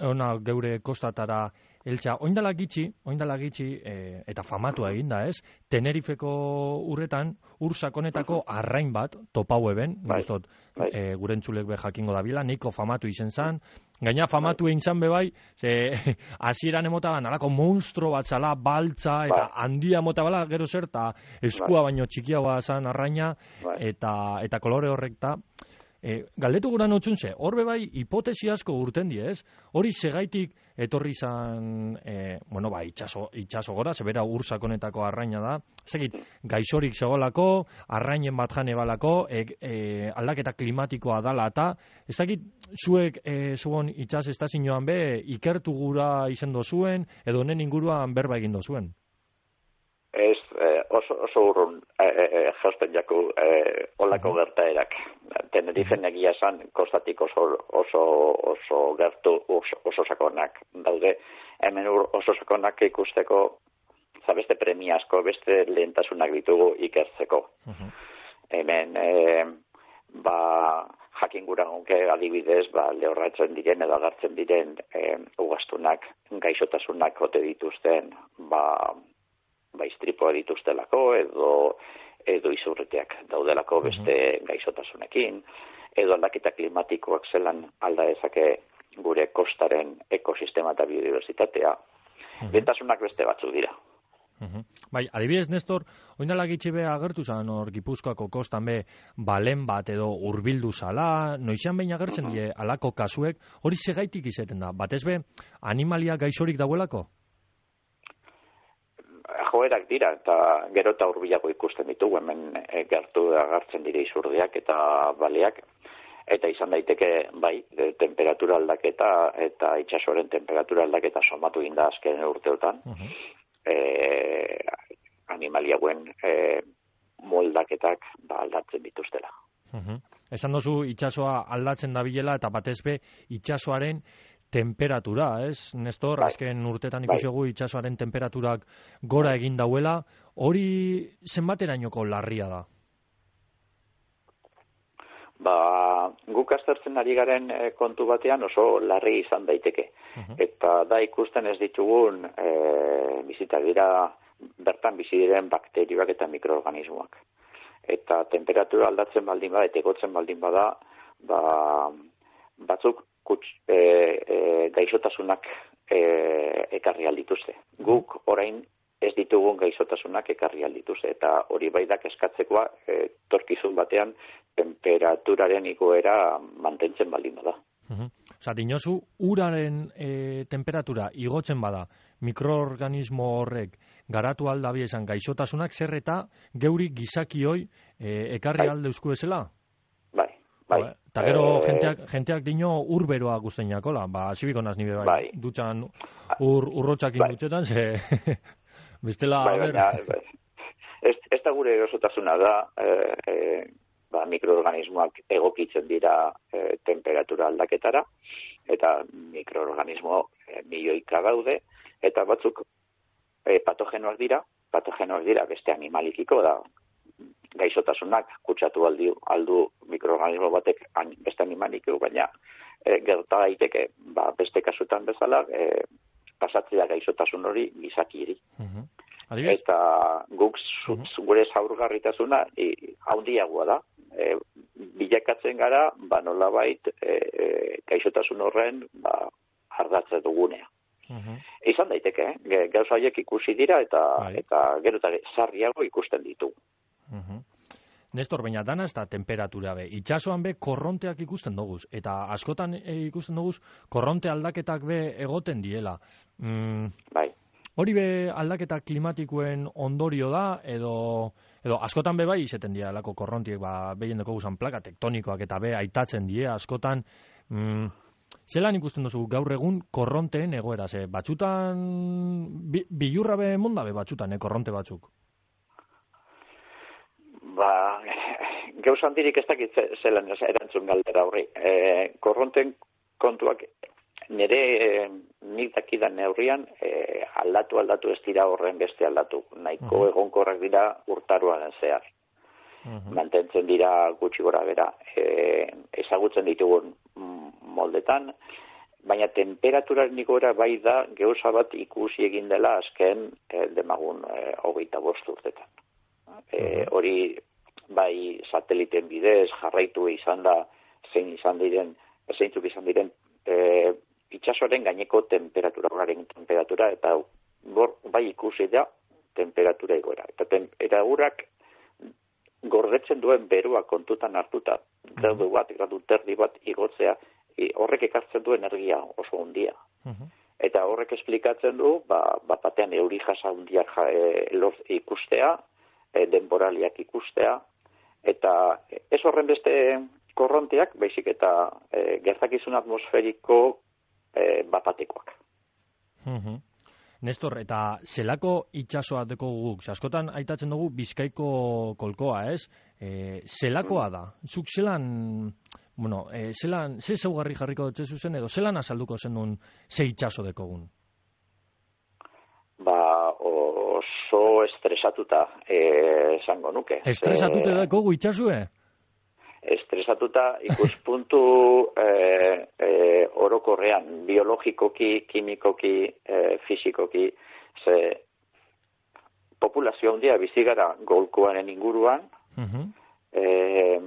ona geure kostatara eltsa, oindala gitxi, oindala gitxi, e, eta famatu egin da, ez? Tenerifeko urretan, ur sakonetako arrain bat, topau eben, bai, guztot, bai. E, gure entzulek be jakingo da bila, nahiko famatu izen zan, gaina famatu egin zan bebai, ze, hasieran emota nalako monstro bat zala, baltza, eta bai. Handia mota bala, gero zer, eta eskua bai. Baino txikiagoa zan arraina, bai. eta, eta kolore horrekta, E, galdetu gura notzun ze, horbe bai hipotesi asko urten die, ez? Hori segaitik etorri izan, e, bueno, ba, itxaso, itxaso gora, zebera ur sakonetako arraina da, ezagit, gaixorik segolako, arrainen bat jane balako, e, e, aldaketa klimatikoa dala eta, ezagit, zuek e, zuon itxas estazioan be, ikertu gura izen dozuen, edo honen inguruan berba egin dozuen? Ez, eh, oso, oso urrun eh, eh, jausten jaku eh, olako uh-huh. gertaerak. Tenerifen egia esan, kostatik oso, oso, oso gertu, oso, oso sakonak daude. Hemen oso sakonak ikusteko, za beste premia asko, beste lehentasunak ditugu ikertzeko. Uh-huh. Hemen, eh, ba, jakin gura gonke adibidez, ba, lehorratzen diren edo agartzen diren eh, ugastunak, gaixotasunak ote dituzten, ba, ba istripoa dituztelako edo edo izurreteak daudelako beste uh-huh. gaixotasunekin, edo aldaketa klimatikoak zelan alda dezake gure kostaren ekosistema eta biodiversitatea. Uh-huh. Lehentasunak beste batzu dira. Uh-huh. Bai, adibidez, Nestor, oindala gitxe be agertu zan hor Gipuzkoako kostan be balen bat edo hurbildu zala, noizean behin agertzen uh-huh. die alako kasuek, hori segaitik izeten da, batez be animalia gaixorik dauelako? Joerak dira, eta gero eta hurbilago ikusten ditugu, hemen e, gertu agartzen dire izurdiak eta baleak, eta izan daiteke, bai, de, temperatura aldaketa eta itsasoaren temperatura aldaketa somatu inda azken urteotan, uh-huh. e, animaliauen e, moldaketak ba, aldatzen dituztela. Uh-huh. Esan dozu itsasoa aldatzen dabilela eta batez be itsasoaren temperatura, ez? Nestor, bai. Azken urtetan ikusigu bai. Itsasoaren temperaturak gora egin dauela, hori zenbaterainoko larria da? Ba, guk aztertzen ari garen kontu batean oso larri izan daiteke. Uh-huh. Eta da ikusten ez ditugun e, bizita dira bertan bizi diren bakterioak eta mikroorganismoak. Eta temperatura aldatzen baldin bada, eta egotzen baldin bada, ba, batzuk Kuts, e, e, gaixotasunak e, ekarri aldituzte. Guk orain ez ditugun gaixotasunak ekarri aldituzte, eta hori baidak eskatzekoa e, torkizun batean temperaturaren igoera mantentzen baldin bada. Uh-huh. Osa, dinozu, uraren e, temperatura igotzen bada, mikroorganismo horrek garatu aldabi esan gaixotasunak, zer eta geuri gizakioi e, ekarri bai. Alde eusku ezela? Bai. Bai. Eta gero e... jenteak, jenteak dino urberoa guztiinakola, ba, zibiko naz nire bai, bai. Dutxan ur, urrotxakin bai. Dutxetan, ze... Bestela, bai, a ber... baina, bai. Ez, ez da gure erosotasuna da, e, e, ba, mikroorganismoak egokitzen dira e, temperatura aldaketara, eta mikroorganismo e, milioika daude, eta batzuk e, patogenoak dira, patogenoak dira beste animalikiko da, gaixotasunak kutsatu aldi, aldu mikroorganismo batek beste animalikiko, baina e, gerta daiteke ba, beste kasutan bezala, e, pasatzea gaixotasun hori gizakiri. Uh-huh. Adibidez? Eta guk zu, gure zaurgarritasuna e, handiagoa da. E, bilakatzen gara, ba nolabait e, e, gaixotasun horren ba, ardatze dugunea. Uh-huh. Izan daiteke, eh? Gauza horiek ikusi dira eta Bai. eta gero eta sarriago ikusten ditu. Uh-huh. Nestor, baina dana ez da temperatura be. Itxasoan be korronteak ikusten doguz. Eta askotan e, ikusten doguz korronte aldaketak be egoten diela. Mm, bai. Hori be aldaketa klimatikoen ondorio da, edo, edo askotan be bai izeten dira lako korrontiek, ba, behien deko guzan plaka tektonikoak eta be aitatzen die askotan. Mm, zelan ikusten duzu gaur egun korronteen egoera? Ze, batxutan, bi, bilurra be monda be batxutan, eh, korronte batzuk? Ba, gauza handirik ez dakit zelan erantzun galdera horri. E, korronten kontuak nire e, nik dakidan neurrian e, aldatu aldatu ez dira horren beste aldatu. Nahiko uh-huh. egonkorrak dira urtaroan zehar. Uh-huh. Mantentzen dira gutxi gora bera. E, ezagutzen ditugun moldetan, baina temperaturaren igora bai da gauza bat ikusi egin dela azken e, demagun e, hogeita bost urtetan. E, hori bai sateliten bidez jarraitu izan da zein izan diren zeintzuk izan diren e, itsasoaren gaineko temperatura horren temperatura eta gor, bai ikusi da temperatura igoera eta temperaturak gordetzen duen berua kontutan hartuta gradu bat, gradu terdi bat igotzea e, horrek ekartzen du energia oso handia. Uh-huh. Eta horrek esplikatzen du ba, bat batean euri jasa handiak ja, e, ikustea denboraliak ikustea, eta ez horren beste korronteak, baizik eta e, gertakizun atmosferiko e, bapatekoak. Uh-huh. Nestor, eta zelako itxasoa deko guk? Askotan aitatzen dugu Bizkaiko kolkoa, ez? E, zelakoa da? Zuk zelan, bueno, e, zelan, ze zaugarri jarriko dutze zuzen, edo zelan azalduko zen duen ze itxaso dekogun? Ba, oso estresatuta eh, esango nuke. Estresatuta e, dako itxasue? Estresatuta ikuspuntu eh, eh, orokorrean, biologikoki, kimikoki, eh, fizikoki, ze populazio handia bizi gara golkoaren inguruan, uh-huh. eh,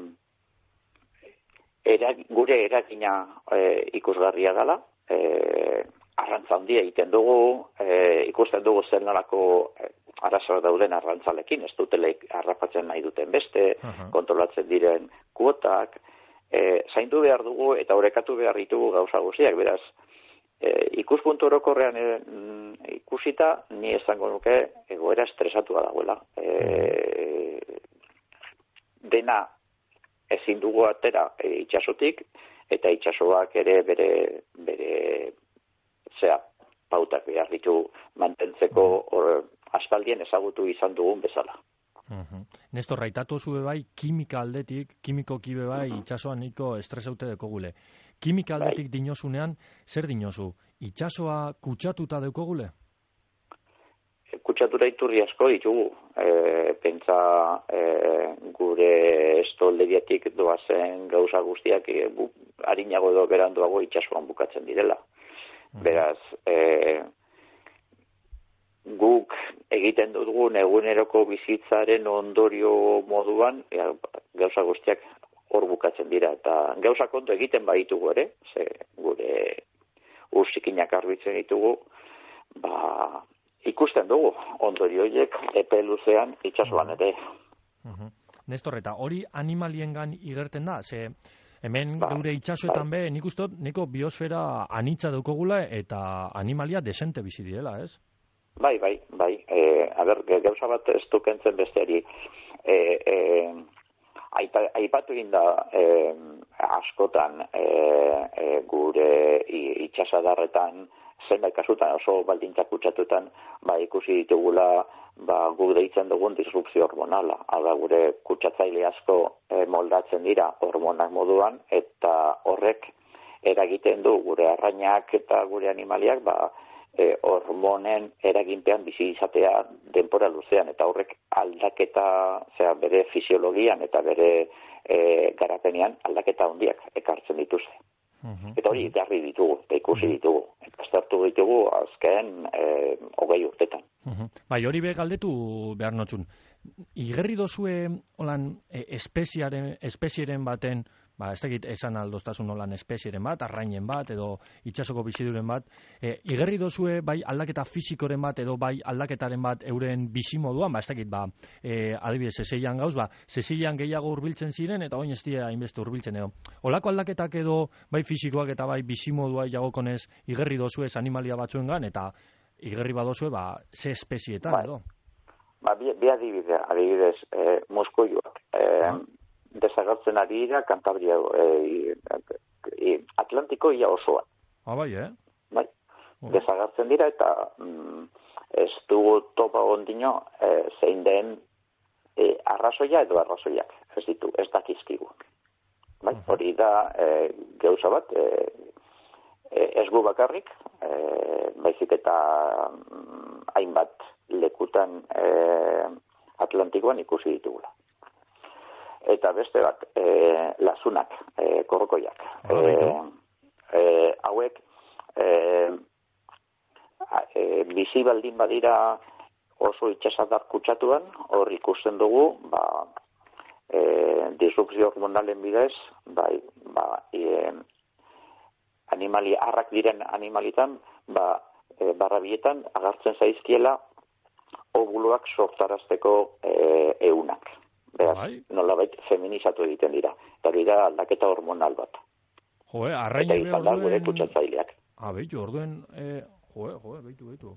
era, gure eragina eh, ikusgarria dela, eh, arrantza handia egiten dugu, e, ikusten dugu zer nolako e, arazoak dauden arrantzalekin, ez duteleik harrapatzen nahi duten beste, uh-huh. kontrolatzen diren kuotak, e, zaindu behar dugu eta orekatu behar ditugu gauza guztiak, beraz, e, ikuspuntu orokorrean e, ikusita, ni esango nuke egoera estresatua dagoela. E, dena ezin dugu atera e, itxasotik, eta itxasoak ere bere bere zea, pautak behar ditu mantentzeko or, aspaldien ezagutu izan dugun bezala. Uh-huh. Nestor, raitatu zube bai, kimika aldetik, kimikoki be bai, uh-huh. itxasoan niko estresaute dekogule. Kimika aldetik bai. Dinozunean, zer dinozu? Itxasoa kutsatuta dekogule? Kutsatura iturri asko ditugu. E, pentsa e, gure estolderiatik doazen gauza guztiak e, bu, harinago edo beranduago itxasoan bukatzen direla. Beraz, e, guk egiten dugun eguneroko bizitzaren ondorio moduan, e, gauza guztiak hor bukatzen dira. Eta gauza kontu egiten baitugu ere, ze gure ursikinak arbitzen ditugu, ba, ikusten dugu ondorio horiek epe luzean itxasoan ere. Uh-huh. Nestor, eta hori animaliengan igerten da, ze... Hemen ba, gure itxasoetan ba. be, nik ustot, neko biosfera anitza daukogula eta animalia desente bizi direla, ez? Bai, bai, bai. E, a ber, gauza bat ez dukentzen besteari. E, e, aipa, aipatu egin da e, askotan e, e, gure itxasadarretan zenbait kasutan oso baldintzak kutsatuetan, ba, ikusi ditugula, ba, guk deitzen dugun disrupzio hormonala. Hau da, gure kutsatzaile asko e, moldatzen dira hormonak moduan, eta horrek eragiten du gure arrainak eta gure animaliak, ba, e, hormonen eraginpean bizi izatea denbora luzean, eta horrek aldaketa, zera, bere fisiologian eta bere e, garapenean aldaketa handiak ekartzen dituzte. Uh-huh. Eta hori garri ditugu, eta ikusi ditugu, eta aztertu ditugu azken e, hogei urtetan. Uh-huh. Bai, hori be galdetu behar notzun. Igerri dozue holan e, espeziaren, espezieren baten, ba, ez dakit esan aldoztasun holan espezieren bat, arrainen bat, edo itxasoko biziduren bat, e, igerri dozue bai aldaketa fisikoren bat, edo bai aldaketaren bat euren bizimoduan, ba, ez dakit, ba, e, adibidez, Sezilian gauz, ba, Sezilian gehiago hurbiltzen ziren, eta oin ez dira hainbeste hurbiltzen, edo. Olako aldaketak edo, bai fisikoak eta bai bizimodua jagokonez, igerri dozue animalia batzuengan, eta igerri badozue, ba, ze espezietan, bai. edo. Ba, bi, bi adibide, adibidez, e, moskoioak, e, ah. desagertzen ari dira Kantabria, e, e, Atlantiko ia osoan. Ah, bai, eh? Bai, oh. Desagertzen dira eta mm, ez dugu topa ondino e, zein den e, arrazoia edo arrazoiak, ez ditu, ez dakizkigu. Bai, uh-huh. Hori da e, gauza bat, e, e, ez gu bakarrik, e, baizik eta mm, hainbat lekutan e, Atlantikoan ikusi ditugula. Eta beste bat, e, lasunak, e, korrokoiak. E, e, hauek, e, e, bizi baldin badira oso itxasadar kutsatuan, hor ikusten dugu, ba, e, disrupzio hormonalen bidez, bai, ba, e, animali, arrak diren animalitan, ba, e, barrabietan agartzen zaizkiela ovuloak sortarazteko e, eunak. Beraz, nolabait feminizatu egiten dira. Eta hori da aldaketa hormonal bat. Joe, arrain ebe orduen... Eta izan da gure kutsatzaileak. Ah, behitu, orduen... Eh, joe, joe, behitu, behitu.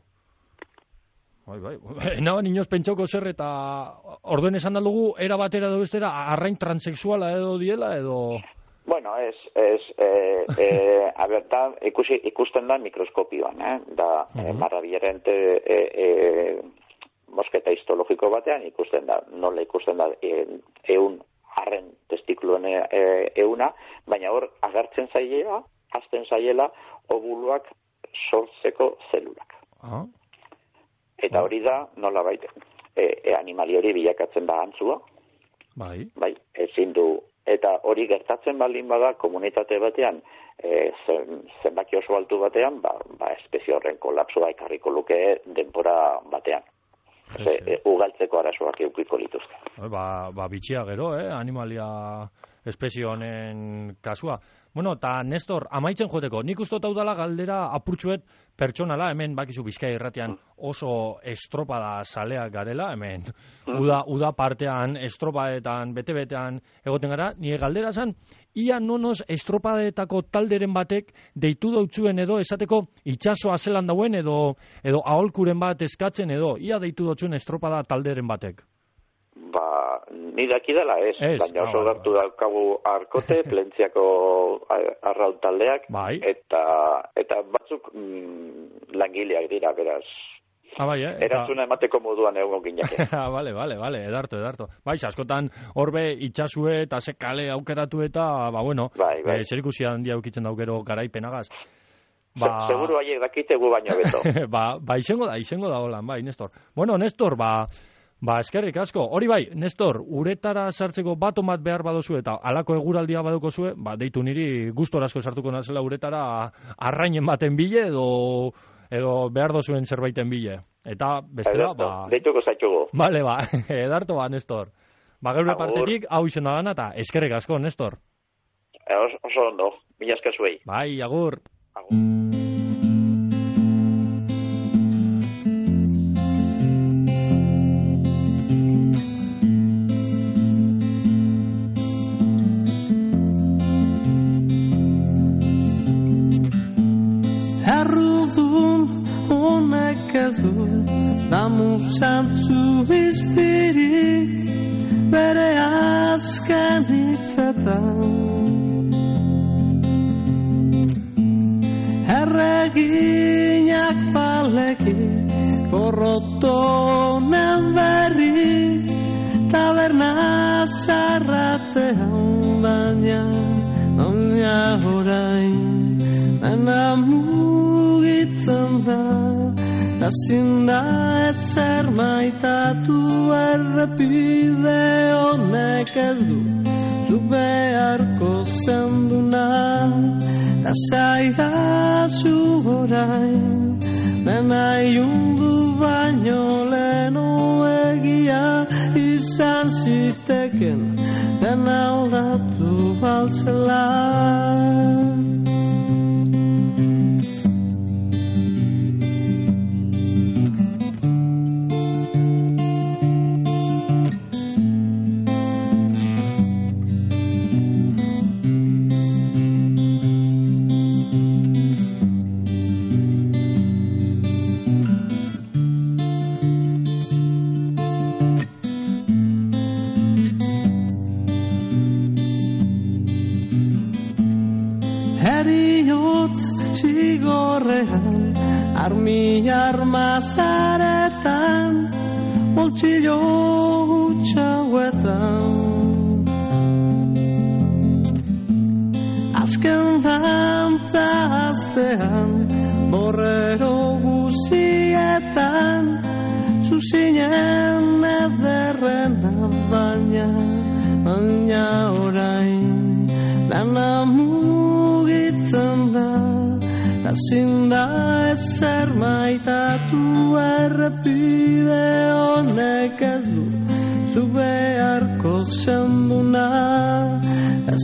Bai, bai. Naban inoz pentsauko zer eta orduen esan dalugu era batera edo bestera arrain transexuala edo diela edo... Bueno, ez, ez, eh, eh, a ber, da, ikusi, ikusten da mikroskopioan, eh? Da, uh-huh. eh, marrabiaren te... Eh, eh, mosketa histologiko batean ikusten da, nola ikusten da e, eun arren testikuluen e, euna, baina hor agertzen zaiela, hazten zaiela ovuluak sortzeko zelulak. Ah. Eta hori da, nola baita, e, e, animali hori bilakatzen da antzua, bai, bai, ezin du, eta hori gertatzen baldin bada komunitate batean, e, zen, zenbaki oso altu batean, ba, ba espezie horren kolapsoa ekarriko luke denbora batean. Ze, e, ugaltzeko arazoak eukiko lituzke. Ba, ba bitxia gero, eh, animalia espezie honen kasua. Bueno, eta Nestor, amaitzen joteko, nik uste hau dela galdera apurtxuet pertsonala, hemen bakizu Bizkaia irratian oso estropada saleak garela, hemen uda, uda partean, estropadetan, bete-betean egoten gara, nire galdera zan, ia nonoz estropadetako talderen batek deitu dautzuen edo esateko itxasoa zelan dauen edo edo aholkuren bat eskatzen edo, ia deitu dautzuen estropada talderen batek. Ba, ni daki dela ez, ez baina oso no, gertu daukagu arkote, plentziako arraun taldeak, bai. eta eta batzuk mm, langileak dira, beraz. Ah, bai, eh? Erantzuna emateko moduan egon gineke. Ah, vale, vale, vale, edarto, edarto. Bai, askotan horbe itxasue eta ze kale aukeratu eta, ba, bueno, bai, bai. Eh, zerikusi handia aukitzen daukero garaipenagaz. Ba... Seguru haiek dakitegu baino beto. ba, ba, izengo da, izengo da holan, bai, Nestor. Bueno, Nestor, ba... Ba, eskerrik asko. Hori bai, Nestor, uretara sartzeko baton bat behar badozu eta alako eguraldia badoko zue, ba, deitu niri gustora asko sartuko nazela uretara arrainen baten bile edo edo behar dozuen zerbaiten bile. Eta bestela, ba... Deituko zaitugu. Bale, ba, edarto ba, Nestor. Ba, geure partetik, hau izen da gana eta eskerrik asko, Nestor. E, oso ondo, mila esker zuei. Bai, agur. Agur. Errudun honek ez du damu zantzu izpirik bere azken hitzetan erregin Argiak baleki Gorrotonen berri Taberna zarratzean baina Baina orain Dena mugitzen da Ta zinda ezer maitatu Errepide honek ez du Zuk beharko zenduna Ta zaidazu orain Dena iundu baino leno egia izan ziteken Dena aldatu baltzela Zigorrean, armi armazaretan, boltsillo hutxauetan. Azken dantza aztean, borrero guzietan, zuzinen ederrena baina, baina orain, dana mugitzen da. Ta zinda ezer maitatu errepide honek ez du Zu beharko zenduna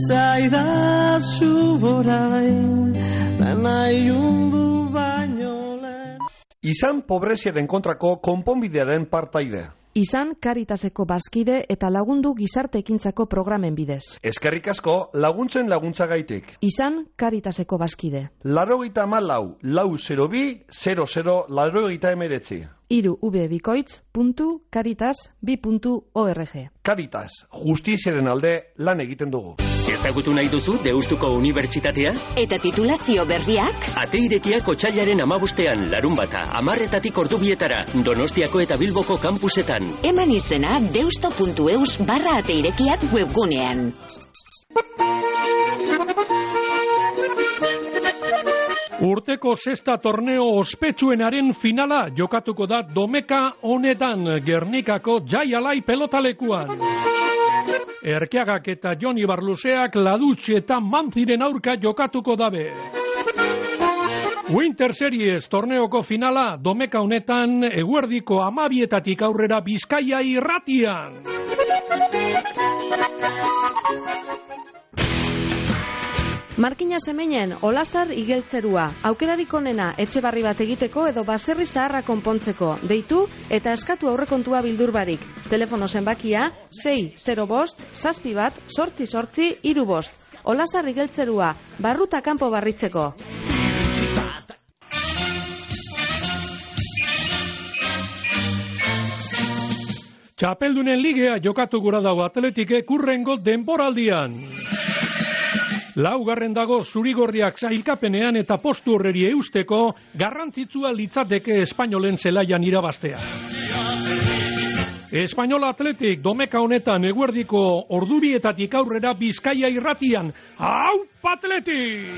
Zaidazu orain Dena iundu baino lehen Izan pobreziaren kontrako konponbidearen partaide Izan Caritaseko bazkide eta lagundu gizarte ekintzako programen bidez. Eskerrik asko laguntzen laguntzagaitik. Izan Caritaseko bazkide. Laurogeita hamalau, lau zero bi, zero zero, laurogeita hemeretzi. Hiru ubebikoitz puntu caritas bi puntu org. Caritas, justiziaren alde lan egiten dugu. Ezagutu nahi duzu Deustuko Unibertsitatea? Eta titulazio berriak? Ate irekiak otsailaren amabostean, larun bata, amarretatik ordubietara, Donostiako eta Bilboko kampusetan. Eman izena deusto puntu eus barra ate irekiak webgunean. Urteko sexta torneo ospetsuenaren finala jokatuko da domeka honetan Gernikako Jai Alai pelotalekuan. Erkeagak eta Joni Barluseak Ladutxe eta Manziren aurka jokatuko dabe. Winter Series torneoko finala domeka honetan eguerdiko amabietatik aurrera Bizkaia irratian. Markina Semenen, Olasar igeltzerua, aukerarik onena etxe barri bat egiteko edo baserri zaharra konpontzeko, deitu eta eskatu aurrekontua bildurbarik. Telefono zenbakia sei zero bost, zazpi bat, sortzi sortzi, hiru bost. Olasar igeltzerua, barruta kanpo barritzeko. Txapeldunen ligea jokatu gura dago Atletike kurrengo denboraldian. Laugarren dago zurigorriak sailkapenean eta postu horreri eusteko garrantzitsua litzateke Espainolen zelaian irabaztea. Espainola Atletik domeka honetan eguerdiko ordubietatik aurrera Bizkaia irratian. Hau Atletik!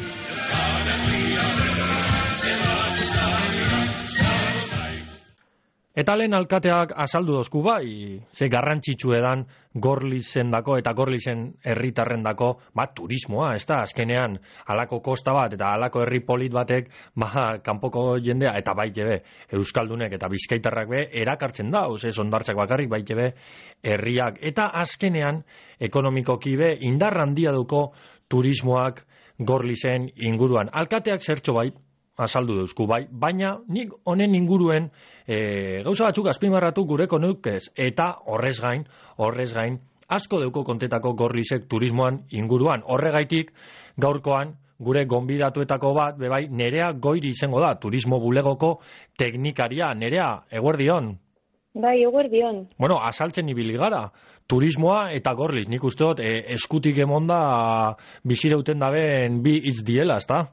Eta lehen alkateak azaldu dozku bai, ze garrantzitsu edan Gorlizen dako eta Gorlizen herritarren dako, ba, turismoa, ez da, azkenean, halako kosta bat eta halako herri polit batek, ba, kanpoko jendea, eta baite be, Euskaldunek eta Bizkaitarrak be, erakartzen da, oze, ondartzak bakarrik baite be, herriak, eta azkenean, ekonomikoki be, indar handia duko turismoak Gorlizen inguruan. Alkateak zertxo bai, azaldu deuzku bai, baina nik honen inguruen e, gauza batzuk azpimarratu gureko nukez, eta horrez gain, horrez gain, asko deuko kontetako Gorlizek turismoan inguruan. Horregaitik gaurkoan gure gonbidatuetako bat, bebai, Nerea Goiri izango da, turismo bulegoko teknikaria. Nerea, eguerdion. Bai, eguerdion. Bueno, azaltzen ibili gara, turismoa eta Gorliz, nik uste dut, e, eskutik emonda bizireuten dabeen bi hitz diela, ezta?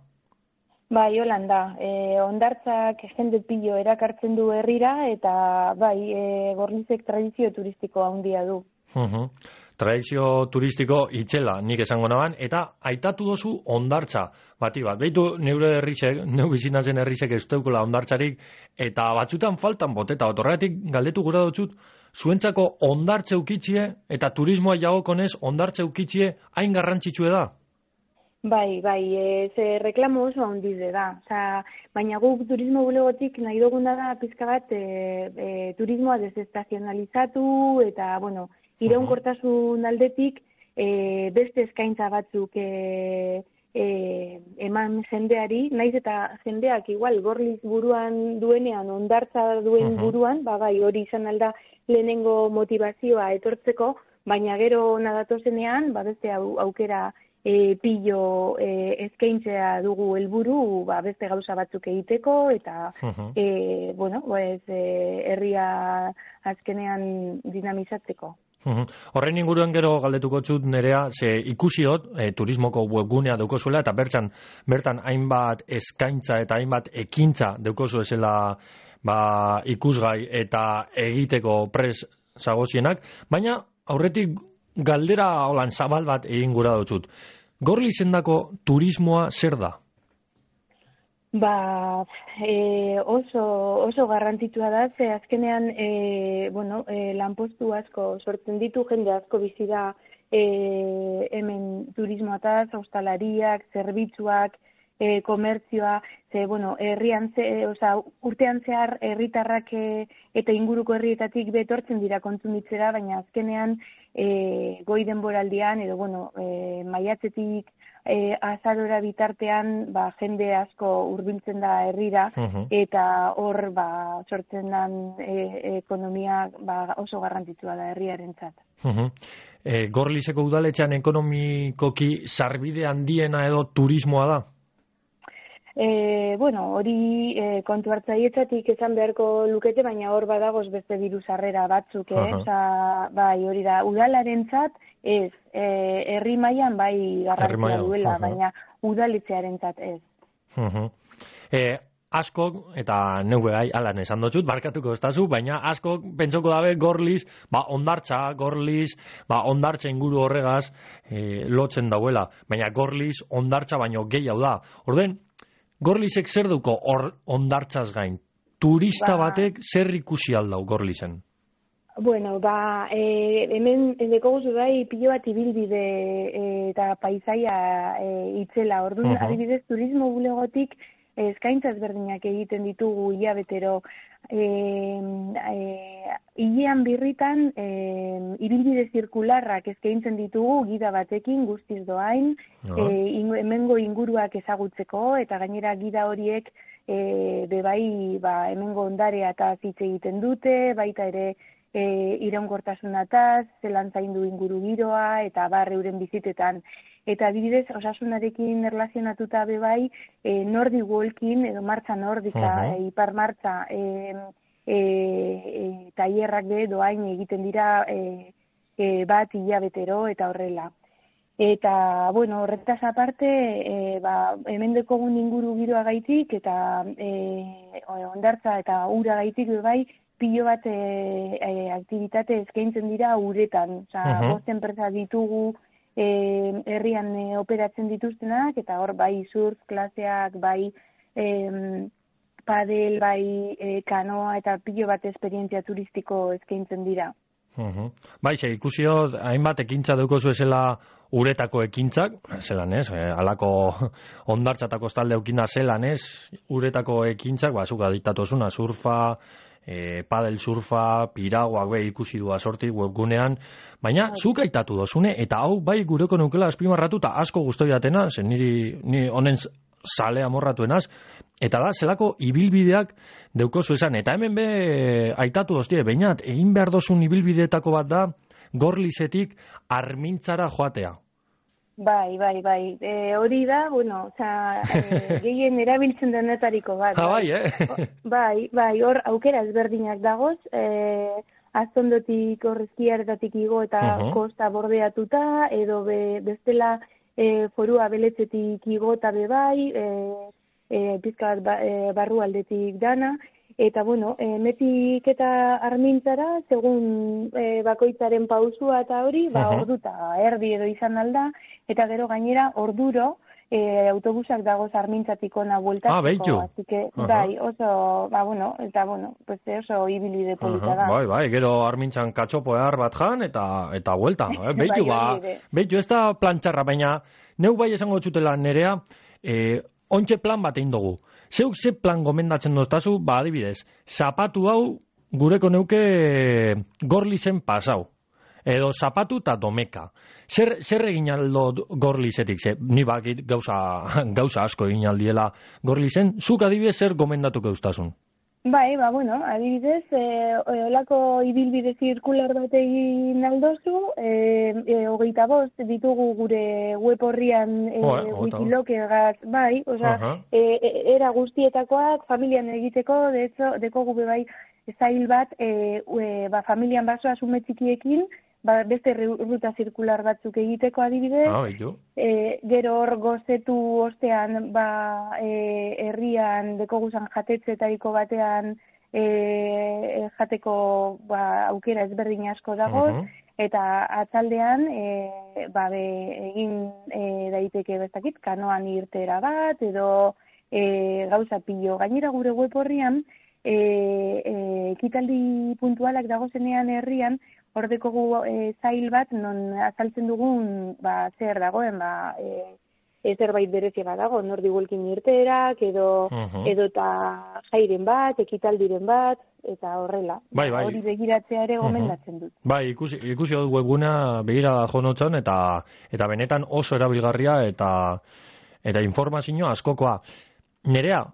Bai, holan da. E, ondartzak jende pilo erakartzen du herrira eta bai, e, Gorlizek tradizio turistiko handia du. Uh-huh. Tradizio turistiko itxela, nik esango naban, eta aitatu dozu ondartza. Bati bat, behitu neure herrisek, neu bizinazen herrisek ez deukula ondartzarik, eta batzutan faltan boteta, otorretik galdetu gura dutzut, zuentzako ondartze ukitzie, eta turismoa jagokonez ondartze ukitzie hain garrantzitsue da? Bai, bai, e, ze reklamo oso handize da. Osa, baina guk turismo bulegotik nahi duguna da pizka bat e, e, turismoa desestazionalizatu eta, bueno, iraunkortasun aldetik e, beste eskaintza batzuk e, e, eman jendeari, naiz eta jendeak igual Gorliz buruan duenean, ondartza duen buruan, ba bai, hori izan alda lehenengo motivazioa etortzeko, baina gero nadatozenean, ba beste au, aukera E, pillo e, eskaintzea dugu helburu, ba, beste gauza batzuk egiteko, eta, uh-huh. e, bueno, pues, e, herria azkenean dinamizatzeko. Uh-huh. Horren inguruan gero galdetuko txut nerea, ze ikusiot, e, turismoko webgunea daukozuela, eta bertan, bertan hainbat eskaintza eta hainbat ekintza daukozu ezela ba, ikusgai eta egiteko pres zagozienak, baina aurretik galdera holan zabal bat egin gura dutxut. Gorlizendako turismoa zer da? Ba, e, oso, oso garrantzitsua da, ze azkenean e, bueno, e, lanpostu asko sortzen ditu, jende asko bizi da e, hemen turismoataz, hostalariak, zerbitzuak, e, komertzioa, ze, bueno, herrian ze, oza, urtean zehar herritarrak e, eta inguruko herrietatik betortzen dira kontsumitzera, baina azkenean e, goi denboraldian, edo, bueno, e, maiatzetik e, azarora bitartean, ba, jende asko hurbiltzen da herrira, uh-huh. eta hor, ba, sortzen den e, ekonomia ba, oso garrantzitsua da herriarentzat. Uh-huh. E, Gorlizeko udaletxean ekonomikoki sarbide handiena edo turismoa da? E, bueno, hori e, kontu hartzaietzatik esan beharko lukete, baina hor badagoz beste diru sarrera batzuk, eh? Uh-huh. Osa, bai, hori da, udalarentzat ez, e, herri mailan bai garrantzia duela, uh-huh. baina udaletxearentzat ez. Uh-huh. E, askok, eta neue gai, alan esan dutxut, barkatuko estazu, baina askok pentsoko dabe Gorliz, ba, ondartza, Gorliz, ba, ondartza inguru horregaz e, lotzen dauela, baina Gorliz ondartza baino gehiago da. Orden, Gorlizek zer duko hor ondartzaz gain? Turista ba, batek zer ikusi aldau Gorlizen? Bueno, ba, e, hemen deko guzu bai pilo bat ibilbide e, eta paisaia e, itzela. Orduan, uh-huh. adibidez, turismo bulegotik eskaintza ezberdinak egiten ditugu hilabetero. E, e, hilean birritan e, ibilbide zirkularrak eskaintzen ditugu gida batekin guztiz doain, uh-huh. e, in, hemengo inguruak ezagutzeko, eta gainera gida horiek e, bebai ba, hemengo ondarea eta hitz egiten dute, baita ere e, iraunkortasunataz, zelan zaindu inguru giroa, eta barre euren bizitetan. Eta adibidez, osasunarekin erlazionatuta bebai, e, Nordic Walking, edo martxa nordika, uh-huh. e, ipar martxa, e, e, e, tailerrak be doain egiten dira e, e, bat hilabetero eta horrela. Eta, bueno, horretaz aparte, e, ba, hemen dekogun inguru giroa gaitik, eta e, ondartza eta ura gaitik bebai, pilo bat e, e, aktivitate eskaintzen dira uretan. Osa, uh-huh. bost enpresa ditugu, E, herrian e, operatzen dituztenak, eta hor bai surf klaseak, bai e, padel, bai e, kanoa, eta pilo bat esperientzia turistiko eskaintzen dira. Uh-huh. Bai, ze, ikusio, hainbat ekintza dukozu esela uretako ekintzak, zelan ez, eh, alako ondartza eta kostalde eukina zelan ez, uretako ekintzak, ba, zuka diktatozuna, surfa, E, padel surfa, piraguak be ikusi du asortik webgunean, baina zuk aitatu dozune, eta hau bai gureko neukela azpimarratu eta asko gustoi datena, zen niri, ni honen sale amorratuenaz, eta da, zelako ibilbideak deukozu esan, eta hemen be aitatu doztie, bainat, egin behar dozun ibilbideetako bat da, Gorlizetik Armintzara joatea. Bai, bai, bai. E, hori da, bueno, oza, e, gehien erabiltzen denetariko bat. Ha, bai, eh? Bai, bai, hor aukera ezberdinak dagoz, e, aztondotik horrezkiaretatik igo eta uh-huh. kosta bordeatuta, edo be, bestela e, forua beletzetik igo eta be bai, e, e, pizka bat ba, e, barru aldetik dana, eta bueno, e, metik eta armintzara, segun e, bakoitzaren pausua eta hori, ba, Mhm. orduta erdi edo izan alda, eta gero gainera orduro, E, autobusak dagoz armintzatik ona bueltatzeko. Ah, behitu. Así que, Aha. bai, oso, ba, bueno, eta, bueno, pues oso ibilide polita da. Bai, bai, gero armintzan katxopo ehar bat jan, eta eta buelta. Eh? Beitu, Bai, ba, hori ere. beitu, ez da plantxarra, baina neu bai esango txutela nerea, eh, ontxe plan bat egin dugu. Zeuk ze plan gomendatzen doztazu, ba, adibidez, zapatu hau gureko neuke Gorlizen pasau. Edo zapatu eta domeka. Zer, zer egin aldo Gorlizetik? Ze, ni bakit gauza, gauza asko egin aldiela Gorlizen. Zuk adibidez zer gomendatuko eustasun? Bai, ba, bueno, adibidez, e, olako ibilbide zirkular bat egin aldozu, e, e, hogeita bost ditugu gure web horrian e, Joder, hogeita bost. wikilokegaz, bai, osea, Aha. e, e, era guztietakoak familian egiteko, de hecho, deko gube bai, zail bat, e, e, ba, familian basoa sume txikiekin, ba, beste ru- ruta zirkular batzuk egiteko adibidez, Ah, beitu. E, gero hor gozetu ostean ba, e, herrian dekoguzan jatetzetariko batean e, jateko ba, aukera ezberdin asko dago, Mhm. eta atzaldean e, ba, be, egin e, daiteke bestakit, kanoan irtera bat, edo e, gauza pilo. Gainera gure web horrian, e, e, ekitaldi puntualak dagozenean herrian, hor dekogu e, zail bat, non azaltzen dugun ba, zer dagoen, ba, e, e, zerbait berezia bat dago, nordi guelkin irterak, edo, Mhm. edo eta jairen bat, ekitaldiren bat, eta horrela. Bai, bai. Hori begiratzea ere Mhm. gomendatzen dut. Bai, ikusi, ikusi dut webguna begira jo notzan, eta, eta benetan oso erabilgarria eta eta informazio askokoa. Nerea,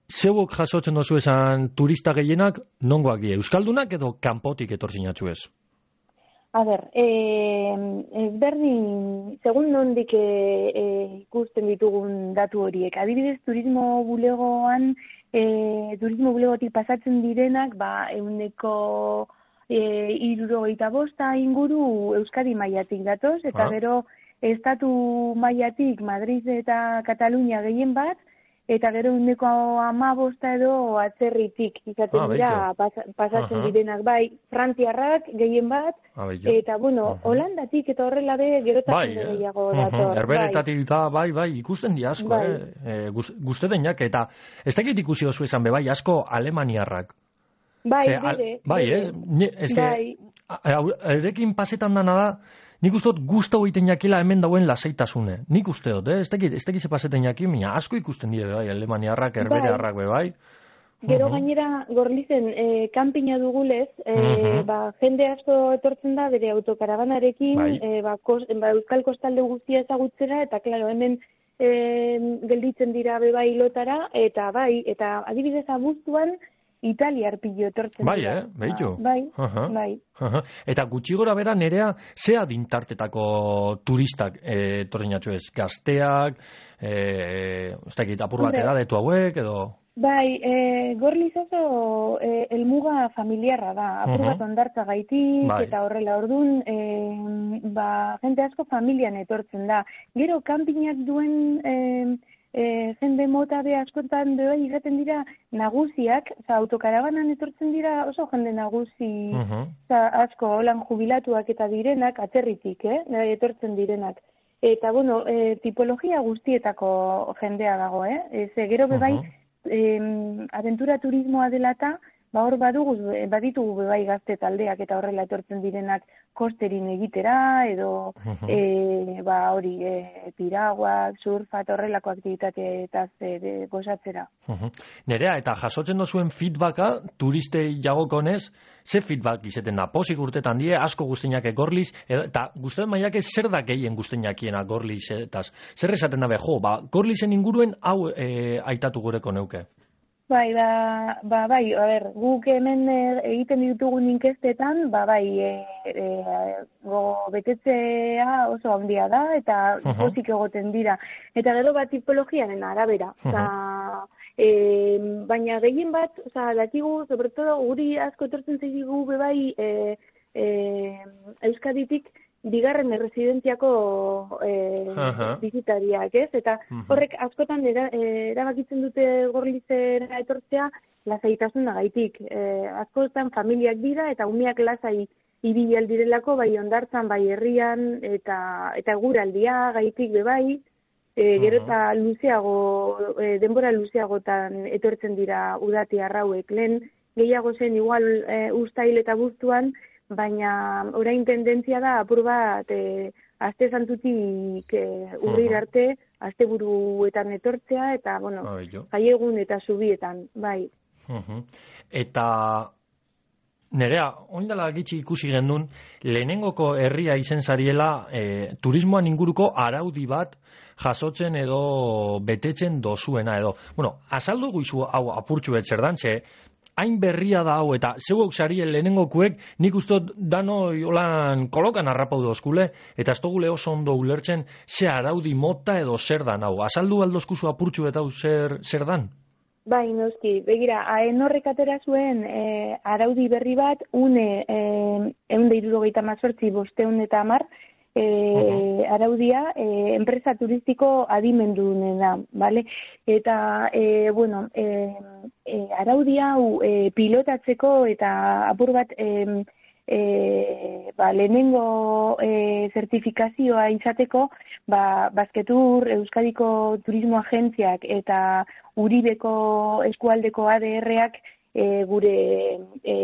zeuok jasotzen dozu esan turista gehienak, nongoak die, euskaldunak edo kanpotik etorzinatzu ez? A ber, eh, ezberdin, segun nondik eh, eh, ikusten ditugun datu horiek. Adibidez, turismo bulegoan, eh, turismo bulegotik pasatzen direnak, ba, euneko eh, irurogeita bosta inguru Euskadi mailatik datoz, eta Ah. gero estatu mailatik Madrid eta Katalunia gehien bat, eta gero euneko hamabosta edo atzerritik izaten Ah, dira beitu. pas- pasatzen Aha. direnak, bai, frantziarrak gehien bat, Ah, beitu. eta bueno, Holandatik eta horrela be gerotasun Bai, eh? gehiago Mhm. dator. Herberetatik da, bai, bai, ikusten di asko, Bai. eh? E, guzte denak, eta ez dakit ikusi oso esan be, bai, asko alemaniarrak. Bai, Ze, al- bide, bai, bide. ez? Ni- Ez que, Bai. erekin pasetan dana da, nik uste dut guztau egiten jakila hemen dauen lasaitasune. Nik uste dut, eh? Ez dakit, ez dakit ze pasetan jakin, mina asko ikusten dire, bai, alemaniarrak, herberearrak, be, bai. Gero Mhm. gainera Gorlizen eh, kanpina dugulez, eh, Mhm. ba, jende asko etortzen da bere autokarabanarekin, Bai. eh, ba, kos, ba, Euskal Kostalde guztia ezagutzera, eta klaro, hemen eh, gelditzen dira bebai lotara, eta bai, eta adibidez abuztuan Italiar pilo etortzen Bai, dira. eh? Beitu. Bai, Aha. bai. Aha. Eta gutxi gora bera nerea, zea dintartetako turistak e, torrinatxo ez? Gazteak, e, ez dakit, apur bat Hombre. edadetu hauek, edo... Bai, e, Gorliz oso e, elmuga familiarra da, apur Mhm. bat ondartza gaitik, Bai. eta horrela ordun, e, ba, jente asko familian etortzen da. Gero, kanpinak duen e, e, jende mota be askotan be bai iraten dira nagusiak, oza, autokarabanan etortzen dira oso jende nagusi oza, asko, holan jubilatuak eta direnak, atzerritik, eh, etortzen direnak. Eta, bueno, e, tipologia guztietako jendea dago, eh? Ez, gero be bai, em, aventura turismoa dela eta, ba hor badugu, baditugu be bai gazte taldeak eta horrela etortzen direnak kosterin egitera, edo e, ba hori, e, piraguak, surfa eta horrelako aktibitateetaz e, gozatzera. Mhm. Nerea, eta jasotzen dozuen feedbacka, turistei jagokonez, ze feedback izeten da? Posik urtetan die, asko guztinak Gorliz, edo- eta guztet maiak zer da gehien guztiakiena Gorliz, eta zer esaten dabe, jo, ba, Gorlizen inguruen hau e, aitatu gureko neuke. Bai, ba, ba, bai, a ber, guk hemen e, egiten ditugun inkestetan, ba, bai, e, e, go betetzea oso handia da, eta Mhm. pozik egoten dira. Eta gero bat tipologiaren arabera. Oza, e, baina gehien bat, oza, dakigu, sobre todo, guri asko etortzen zaigu be bai, e, e, Euskaditik, bigarren erresidentziako e, Aha. bizitariak, ez? Eta horrek askotan era, e, erabakitzen dute Gorlizera etortzea lasaitasuna-gaitik. E, askotan familiak dira eta umeak lasai ibili aldirelako, bai hondartzan, bai herrian, eta eta eguraldia gaitik be bai, e, gero eta luzeago, e, denbora luzeagotan etortzen dira udati arrauek. Lehen gehiago zen igual e, uztail eta buztuan, baina orain tendentzia da apur bat e, aste santutik e, urrir arte, asteburuetan etortzea, eta, bueno, jaiegun eta zubietan, bai. Uh-huh. Eta nerea, oindala gitxi ikusi gendun, lehenengoko herria izen zariela e, turismoan inguruko araudi bat jasotzen edo betetzen dozuena edo. Bueno, azaldu guizu hau apurtxu betzerdan, ze hain berria da hau, eta zeuok sarien lehenengokuek nik ustot dano jolan kolokan harrapau dozkule, eta ez dugule oso ondo ulertzen ze araudi mota edo zer dan hau. Azaldu aldozkuzu apurtxu eta hau zer, zer dan? Bai, noski, begira, haen horrek atera zuen e, araudi berri bat, une e, eun da irurogeita mazortzi bosteun eta amar, e, uh-huh. araudia e, enpresa turistiko adimendunena, bale? Eta, e, bueno, e, e, araudia hau e, pilotatzeko eta apur bat e, e, ba, lehenengo e, zertifikazioa izateko, ba, Basketur, Euskadiko Turismo Agentziak eta Uribeko eskualdeko A D R-ak e, gure e,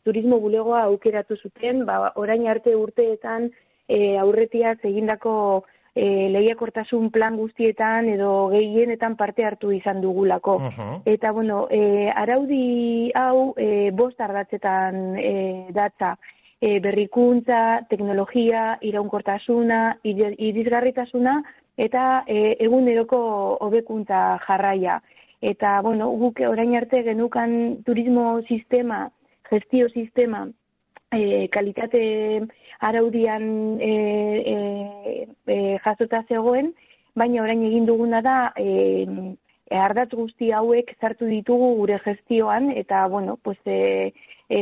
turismo bulegoa aukeratu zuten, ba, orain arte urteetan e, aurretiaz egindako e, lehiakortasun plan guztietan edo gehienetan parte hartu izan dugulako. Uh-huh. Eta, bueno, e, araudi hau e, bost ardatzetan e, datza. E, berrikuntza, teknologia, iraunkortasuna, irisgarritasuna eta e, eguneroko hobekuntza jarraia. Eta, bueno, guk orain arte genukan turismo sistema, gestio sistema, e, kalitate araudian e, e, e, jasota zegoen, baina orain egin duguna da e, e, ardatz guzti hauek sartu ditugu gure gestioan, eta, bueno, pues, e, e,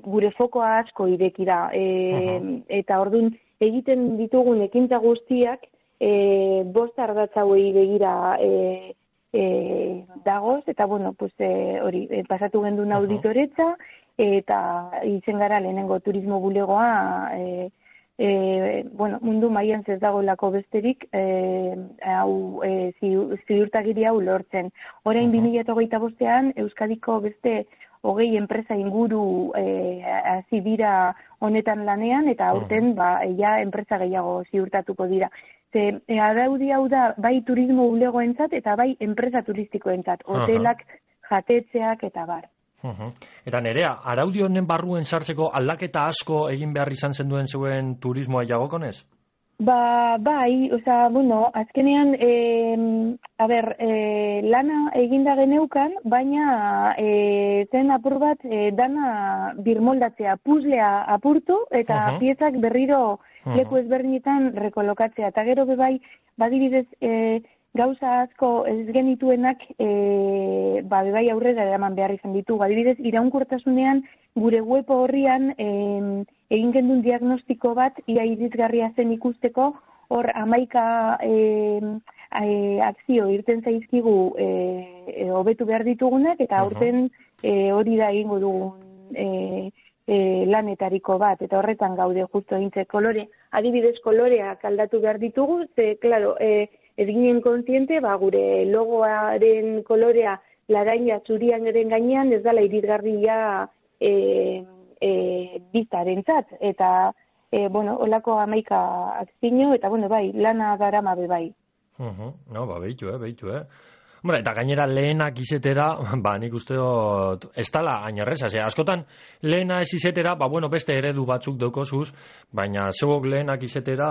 gure fokoa asko ireki da. E, eta orduan egiten ditugun ekintza guztiak e, bost ardatz hauei begira e, E, dagoz, eta, bueno, pues, e, hori, e, pasatu gendun auditoretza, eta izen gara lehenengo turismo bulegoa, e, e, bueno, mundu mailan ez dagoelako besterik, e, hau, e, ziurtagiri hau lortzen. Orain bi mila hogeita bostean, Euskadiko beste hogei enpresa inguru e, hasi dira honetan lanean, eta aurten, ba, ja, enpresa gehiago ziurtatuko dira. Ze, e, araudi hau da, bai turismo bulegoentzat eta bai enpresa turistikoentzat, hotelak, jatetzeak eta bar. Uh-huh. Eta nerea, araudi honen barruen sartzeko aldaketa asko egin behar izan zenduen zuen turismoa jagokonez? Ba, bai, oza, bueno, azkenean, e, a ber, e, lana eginda geneukan, baina e, zen apur bat e, dana birmoldatzea, puzlea apurtu eta uh-huh. piezak berriro uh-huh. leku ezberdinetan rekolokatzea. Eta gero bebai, badibidez, e, gauza asko ez genituenak e, ba, bebai aurrera eraman behar izan ditu. Badibidez, iraunkortasunean gure web horrian e, egin gendun diagnostiko bat, ia irisgarria zen ikusteko, hor amaika e, e, akzio irten zaizkigu e, hobetu behar ditugunak, eta aurten e, hori da egingo dugun e, e, lanetariko bat, eta horretan gaude justo egintze kolore. Adibidez koloreak aldatu behar ditugu, ze, klaro, e, ez ginen kontziente, ba, gure logoaren kolorea laraina txurian eren gainean, ez dala irisgarria e, e, biztarentzat, eta, e, bueno, olako amaika akzino, eta, bueno, bai, lana darama be bai. Uh-huh. No, ba, behitu, eh, behitu, eh. Bueno, eta gainera lehenak izetera, ba, nik uste dut, ez tala ainarreza, ze, askotan lehena ez izetera, ba, bueno, beste eredu batzuk daukozuz, baina zeuok lehenak izetera,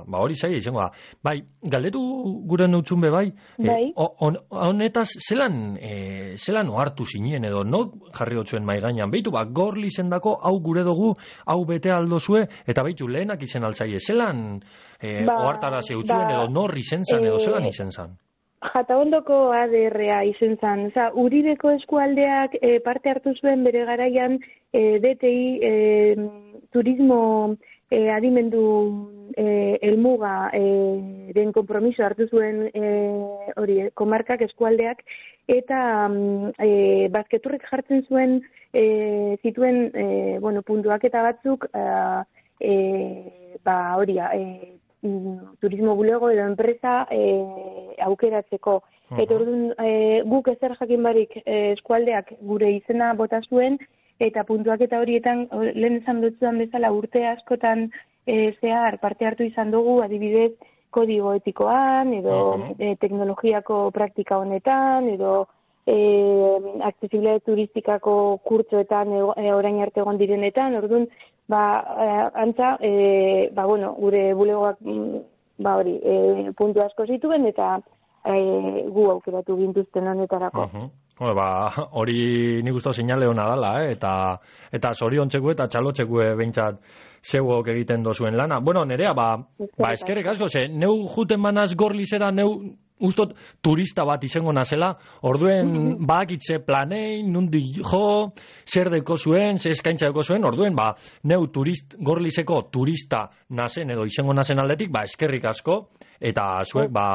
ba, hori zai, izango da. Bai, galdetu gure nutzun be bai, bai. E, on, honetaz, zelan, e, zelan ohartu zinen edo, no jarri hotzuen mai gainan, behitu, ba, Gorli zendako, hau gure dugu, hau bete aldozue, eta behitu, lehenak izen altzaie, zelan e, ba, ohartara zeutzuen ba, edo, norri zen zan, edo zelan izen zan? Jataondoko A D R-a izen zan. Oza, Uribeko eskualdeak e, parte hartu zuen bere garaian e, D T I e, turismo e, adimendu e, elmuga e, den konpromiso hartu zuen e, hori, komarkak, eskualdeak, eta e, bazketurrek jartzen zuen e, zituen e, bueno, puntuak eta batzuk e, e, ba, hori, e, turismo bulego edo enpresa e, aukeratzeko. Uh-huh. Eta orduan e, guk ezer jakin barik e, eskualdeak gure izena bota zuen, eta puntuak eta horietan, lehen esan dutzuan bezala urte askotan e, zehar parte hartu izan dugu, adibidez, kodigo etikoan, edo uh-huh. e, teknologiako praktika honetan, edo e, accesible turistikako kurtsoetan e, orain arte egon direnetan, orduan, ba, e, antza, e, ba, bueno, gure bulegoak, ba, hori, e, puntu asko zituen, eta e, gu aukeratu gintuzten honetarako. Uh-huh. Ba, hori nik uste seinale hona dala, eh? eta, eta zoriontzeku eta txalotzeku behintzat zeuok egiten dozuen lana. Bueno, nerea, ba, ba eskerrik asko, ze, neu juten manaz Gorlizera, neu ustot turista bat izango nazela, orduen bakitze planei, nundi jo, zer deko zuen, zer eskaintza deko zuen, orduen, ba, neu turist, Gorlizeko turista nazen edo izango nazen aldetik, ba, eskerrik asko, eta zuek, ba,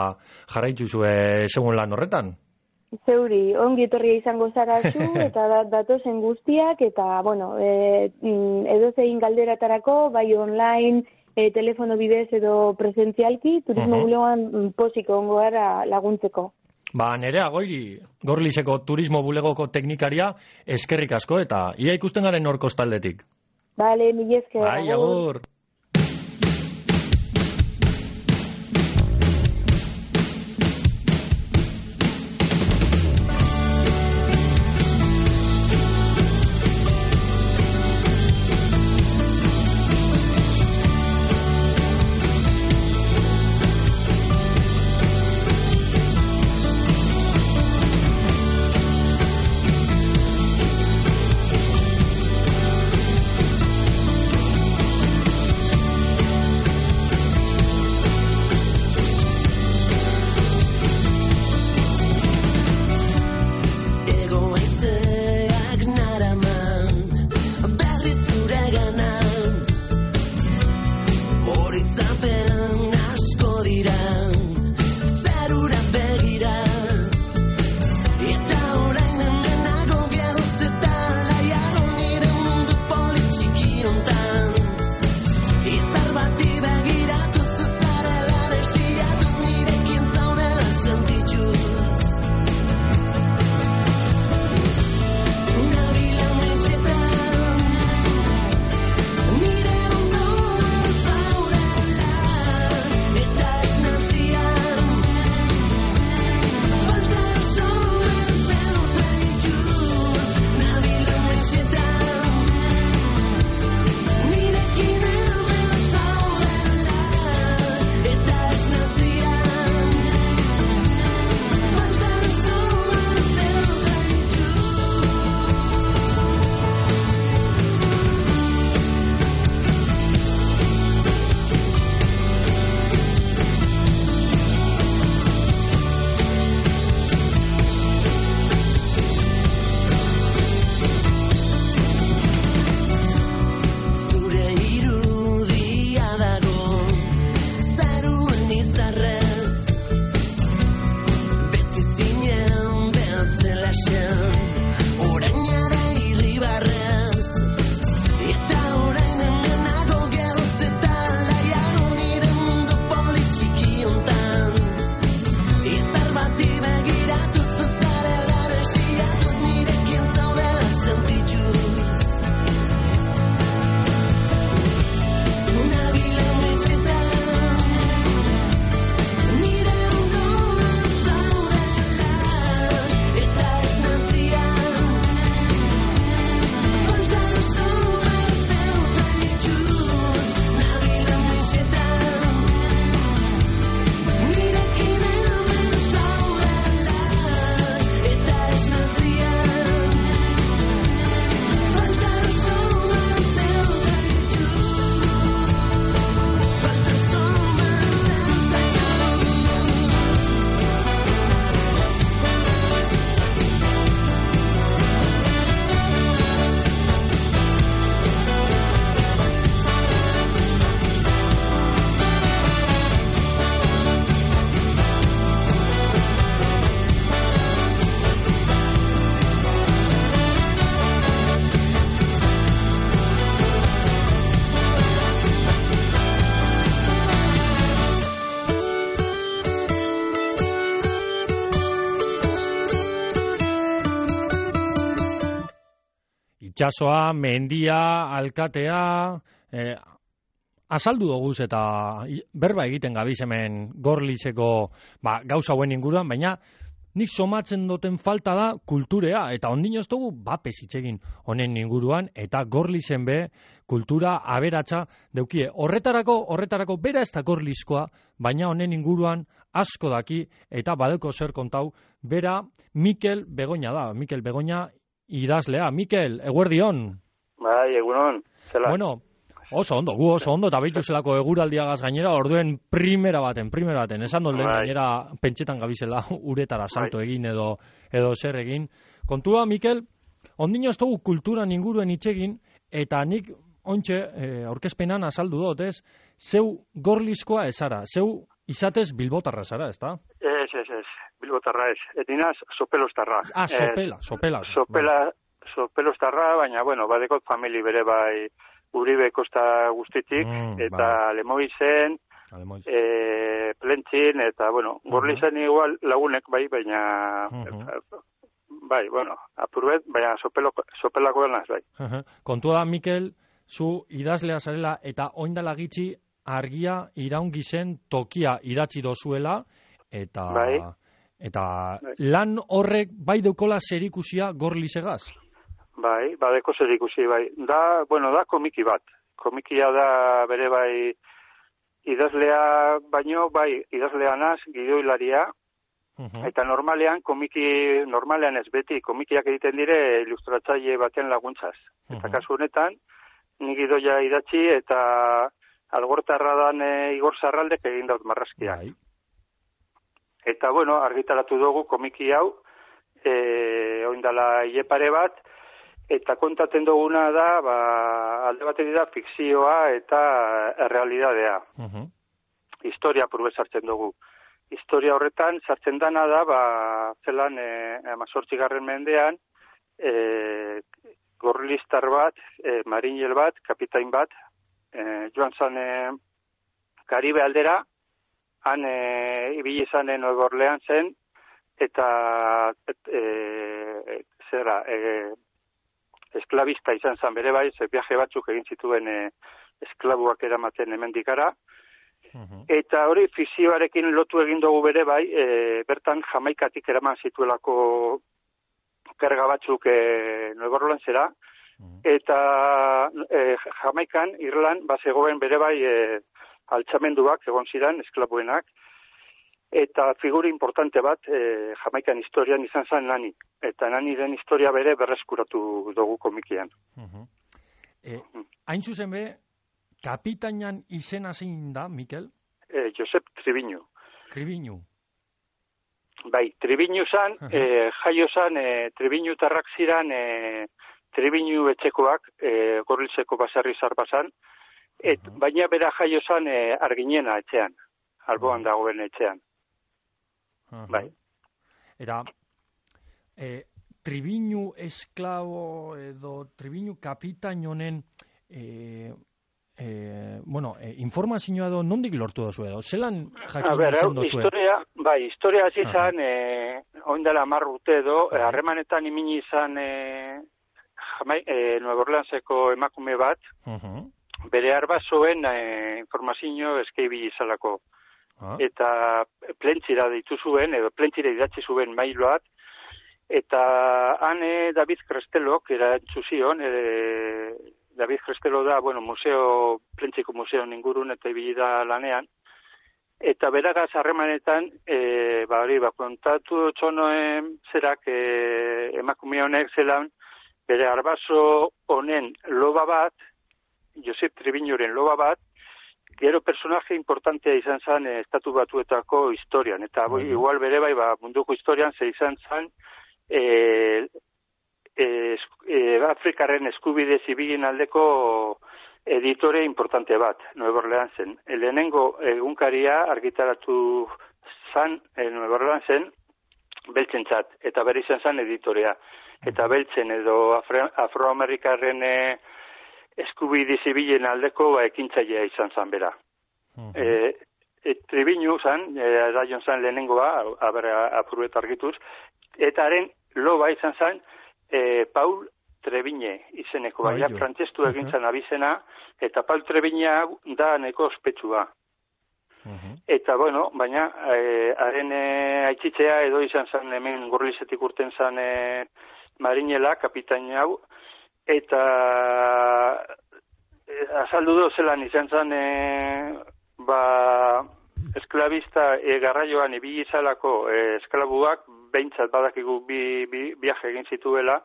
jarraitu zue segun lan horretan. Zeuri, ongi etorria izango zara zu, eta datozen guztiak, eta, bueno, e, edo zein galderatarako, bai online, e, telefono bidez edo presentzialki, turismo uh-huh. bulegoan posiko ongo gara laguntzeko. Ba, Nerea Goiri, Gorlizeko turismo bulegoko teknikaria, eskerrik asko, eta ia ikusten garen hor kostaldetik. Bale, mila esker. Bai, agur. itxasoa, mendia, alkatea, eh, azaldu doguz eta berba egiten gabiz hemen Gorlizeko ba, gauza hauen inguruan, baina nik somatzen duten falta da kulturea, eta ondino ez dugu bapes itxegin honen inguruan, eta Gorlizen be kultura aberatsa deukie. Horretarako, horretarako bera ez da Gorlizkoa, baina honen inguruan asko daki, eta badeko zer kontau, bera Mikel Begoña da, Mikel Begoña idazlea. Mikel, eguerdion. Bai, egunon. Zela. Bueno, oso ondo, gu oso ondo, eta behitu zelako eguraldiagaz gainera, orduen primera baten, primera baten, esan dut lehen gainera pentsetan gabizela uretara salto egin edo edo zer egin. Kontua, Mikel, ondino ez dugu kulturan inguruen itxegin, eta nik ontxe, eh, aurkezpenan azaldu dut, ez, zeu Gorlizkoa ezara, zeu izatez bilbotarra zara, ez da? Ez, ez, ez, bilbotarra ez, etinaz sopelostarra. Ah, sopela, sopela. Sopela, sopelostarra, baina, bueno, badekot famili bere bai, Uribe kosta guztitik, mm, eta bai. Lemoizen, e, Plentzin, eta, bueno, uh-huh. Gorlizen igual lagunek bai, baina, uh-huh. bai, bueno, apurbet, baina sopelo, sopelako denaz, bai. Uh-huh. Kontua da, Mikel, zu idazlea zarela, eta oindala gitxi argia iraungi zen tokia idatzi dozuela, eta, bai. eta bai. Lan horrek bai deukola zerikusia Gorlizegaz? Bai, badeko zer ikusi, bai. Da, bueno, da komiki bat. Komikia da bere bai idazlea, baino, bai, idazlea naz, gidoilaria, uh-huh. eta normalean, komiki, normalean ez beti, komikiak egiten dire ilustratzaile baten laguntzaz. Uh-huh. Eta kasu honetan, ni gidoia idatzi eta algortarra dan e, Igor Zarraldek egin daut marrazkiak. Bai. Eta, bueno, argitaratu dugu komiki hau, e, oindala hile bat, eta kontatzen duguna da, ba, alde batetik da fikzioa eta errealidadea. Uh-huh. Historia purbe sartzen dugu. Historia horretan sartzen dana da, ba, zelan e, amazortzigarren mendean, e, Gorliztar bat, e, marinel bat, kapitain bat, e, joan zan e, Karibe aldera, han e, ibili zanen Nueva Orleans zen, eta et, e, zera, e, esklabista izan zan bere bai, ze viaje batzuk egin zituen e, esklabuak eramaten hemendikara. Uh-huh. Eta hori fizioarekin lotu egin dugu bere bai, e, bertan Jamaikatik eraman zituelako karga batzuk e, Nueva Orleansera, uh-huh. eta e, Jamaikan, Irland, bazegoen bere bai e, altxamenduak egon ziren, esklabuenak, eta figura importante bat, e, Jamaikan historian izan zen Nani. Eta Nani den historia bere berreskuratu dugu komikian. Uh-huh. E, hain zuzen be, kapitainan izena zein da, Mikel? E, Josep Triviñu. Triviñu. Bai, Triviñu zan, uh-huh. e, jaio zan, e, Triviñu tarrak ziran, e, Triviñu etxekoak, e, Gorlizeko baserri zarbazan, et, uh-huh. baina bera jaio zan e, Arginena etxean, alboan uh-huh. dagoen etxean. Uh-huh. Bai. Era, e, Triviñu esklabo edo Triviñu kapitain honen e, e, bueno, e, informazioa edo nondik lortu dozu edo? Zelan jakin izan dozu? Historia, bai, historia hasi izan, uh-huh. e, oindela hamar urte edo, uh-huh. harremanetan imini izan e, jamai, e, Nueva Orleanseko emakume bat, uh-huh. bere arbazoen e, informazio eskeibi izalako. Ah. Eta plentzira deitu zuen, edo plentzira idatzi zuen mailoat, eta hane David Crestelok erantzu zion, e, David Crestelo da, bueno, museo, plentziko museo ingurun eta ibili da lanean, eta beragaz harremanetan, e, ba hori, ba, kontatu txonoen zerak e, emakume honek zelan, bere arbazo honen loba bat, Josep Triviñuren loba bat, gero personaje importantea izan zen eh, estatu batuetako historian, eta uh-huh. igual bere bai, ba, munduko historian ze izan zen eh, eh, eh, Afrikaren eskubide zibilin aldeko editore importante bat, Nueva Orleansen. Lehenengo egunkaria argitaratu zan eh, Nueva Orleansen beltzentzat, eta bere izan zen editorea. Eta beltzen edo afro, afroamerikarren eh, eskubide zibilen aldeko ba, ekintzailea izan zan bera. Uh-huh. E, e, Triviñu zan, e, da jon zan lehenengoa, aber apurret argituz, eta haren loba izan zan, e, Paul Trebine izeneko, baina Bai, jo. frantzestu egintzen abizena, eta Paul Trebine hau da neko ospetsua. Eta, bueno, baina, eh, haren eh, aitzitzea edo izan zen hemen Gorlizetik urten zen eh, marinela, kapitain hau, eta eh, azaldu do zelan izan zen, eh, ba, esklabista eh, garraioan ibili izalako eh, esklabuak, behintzat badakigu bi, bi, viaje egin zituela,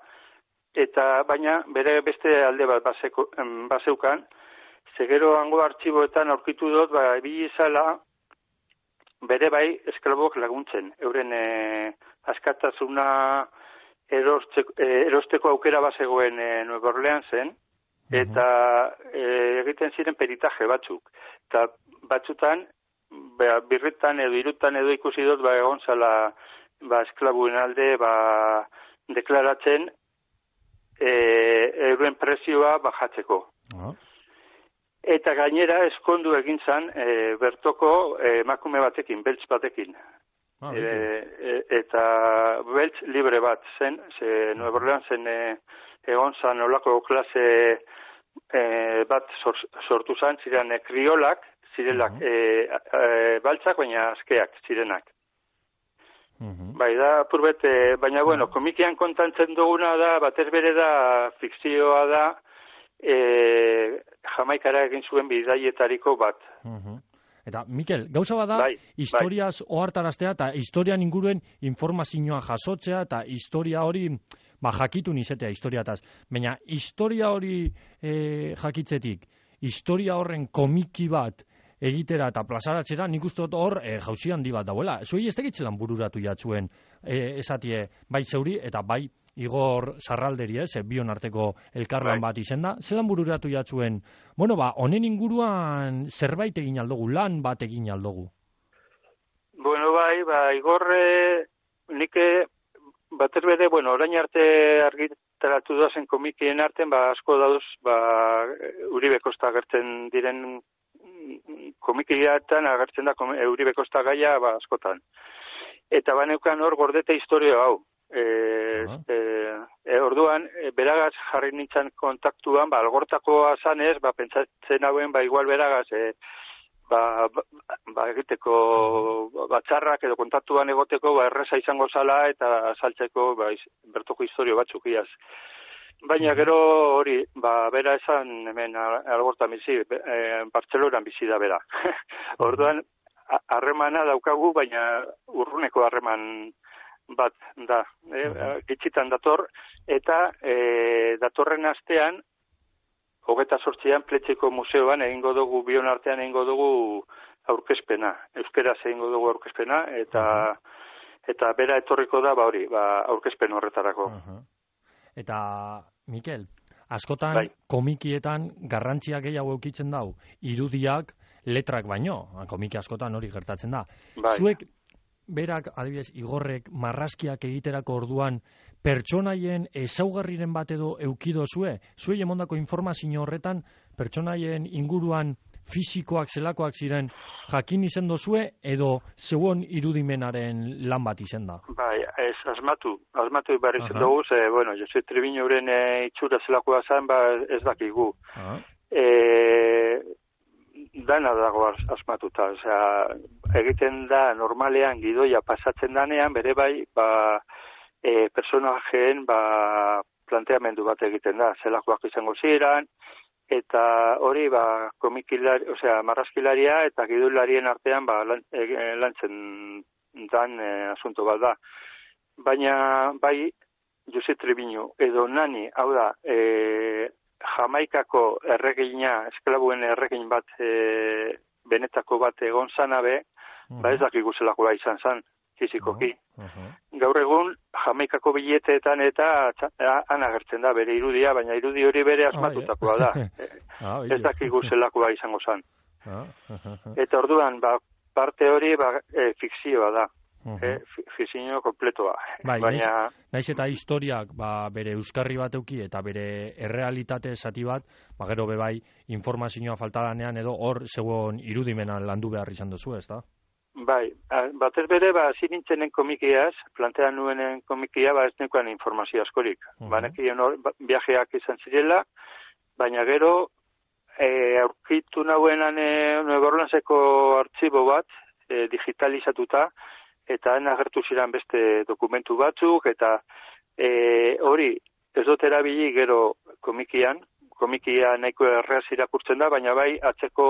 eta baina bere beste alde bat baseko, em, baseukan, zegero hango artxiboetan aurkitu dut, ba, ibili izala, bere bai esklabok laguntzen. Euren e, askatasuna erosteko, e, erosteko aukera bazegoen e, Nueva Orleansen, eta e, egiten ziren peritaje batzuk. Eta batzutan, ba, birritan edo irutan edo ikusi dut, ba, egon zala ba, esklabuen alde ba, deklaratzen e, euren prezioa bajatzeko. Ah. Eta gainera eskondu egin zan e, bertoko e, emakume batekin, beltz batekin. Ah, e, e, eta beltz libre bat zen, ze Nueva Orleansen e, egon zan olako klase e, bat sor, sortu zan, ziren e, kriolak, zirelak e, e, baltzak, baina askeak zirenak. Uh-huh. Bai, da, purbet, e, baina, bueno, komikian kontantzen duguna da, batez bere da, fikzioa da, e, Jamaikara egin zuen bidaietariko bat. Uh-huh. Eta, Mikel, gauza bada, bai, historiaz bai. ohartaraztea eta historian inguruen informazioa jasotzea eta historia hori ba, jakitu nizetea historiataz. Baina, historia hori e, jakitzetik, historia horren komiki bat egitera eta plazaratzera, nik uste dut hor e, jauzi handi bat dauela. Zuei ez tegitzelan bururatu jatzuen e, esatie bai zeuri eta bai Igor Zarralderi, ez, bion arteko elkarlan bai. bat izen da. Zelan bururatu jatzuen, bueno, ba, honen inguruan zerbait egin aldogu, lan bat egin aldogu? Bueno, bai, ba, Igor, eh, nik batez bere, bueno, orain arte argitaratu doazen komikien artean, ba, asko dauz, ba, Uribe Kosta agertzen diren komikiatan agertzen da Uribe Kosta gaia, ba, askotan. Eta baneukan hor gordete historia hau. E, e, e, orduan, e, beragaz jarri nintzen kontaktuan, ba, algortakoa zanez, ba, pentsatzen hauen, ba, igual beragaz, e, ba, ba, ba, egiteko batzarrak edo kontaktuan egoteko, ba, erreza izango zala eta saltzeko, ba, iz, bertoko historio batzuk iaz. Baina gero hori, ba, bera esan hemen algortan bizi, e, Bartzelonan bizi da bera. Orduan, harremana daukagu, baina urruneko harreman bat da, eh, gitxitan dator, eta e, datorren astean, hogeta sortzian, Pletxeko museoan egingo dugu, bion artean egingo dugu aurkezpena, euskeraz egingo dugu aurkezpena, eta eta bera etorriko da, ba hori, ba, aurkezpen horretarako. Uh-huh. Eta, Mikel, askotan bai. komikietan garrantzia gehiago eukitzen dau, irudiak, letrak baino, komiki askotan hori gertatzen da. Bai. Zuek, berak, adibidez, Igorrek marrazkiak egiterako orduan pertsonaien ezaugarriren bat edo eukido zue? Zuei emondako informazio horretan pertsonaien inguruan fisikoak zelakoak ziren jakin izen dozue edo zeuon irudimenaren lan bat izen da? Bai, ez, asmatu, asmatu ibarri zen dugu, ze, bueno, Jose Triviño euren e, itxura zelakoa zen, ba, ez dakigu. Uh-huh. E, dana dago asmatuta, osea, egiten da normalean gidoia pasatzen danean, bere bai, ba, e, personajeen, ba, planteamendu bat egiten da, zelakoak izango ziren, eta hori, ba, komikilari, osea, marrazkilaria eta gidoilarien artean, ba, lan, e, lantzen dan e, asunto bat da. Baina, bai, Jose Triviño, edo nani, hau da, e, Jamaikako erregina, esklabuen erregin bat, e, benetako bat egon zanabe, uh-huh. ba ez dakigu zelakoa izan zan, fizikoki. Uh-huh. Gaur egun, Jamaikako bileteetan eta han agertzen da bere irudia, baina irudi hori bere asmatutakoa da. Ah, ez dakigu zelakoa izango zan. Ah, uh-huh. Eta orduan, ba, parte hori ba, e, fikzioa da. Uh-huh. Eh, fikzio kompletoa. Bai, baina... naiz eta historiak ba, bere euskarri bat euki eta bere errealitate zati bat, ba, gero bebai informazioa falta danean edo hor zegoen irudimenan landu behar izan duzu, ez da? Bai, batez bere, ba, zinintzenen komikiaz, plantean nuenen komikia, ba, ez nekoan informazio askorik. Uh-huh. Banekien hor, viajeak izan zirela, baina gero, e, aurkitu nahuenan e, Nueva Orleanseko artxibo bat, e, digitalizatuta, eta han agertu ziren beste dokumentu batzuk, eta e, hori, ez dut erabili gero komikian, komikia nahiko erreaz irakurtzen da, baina bai, atzeko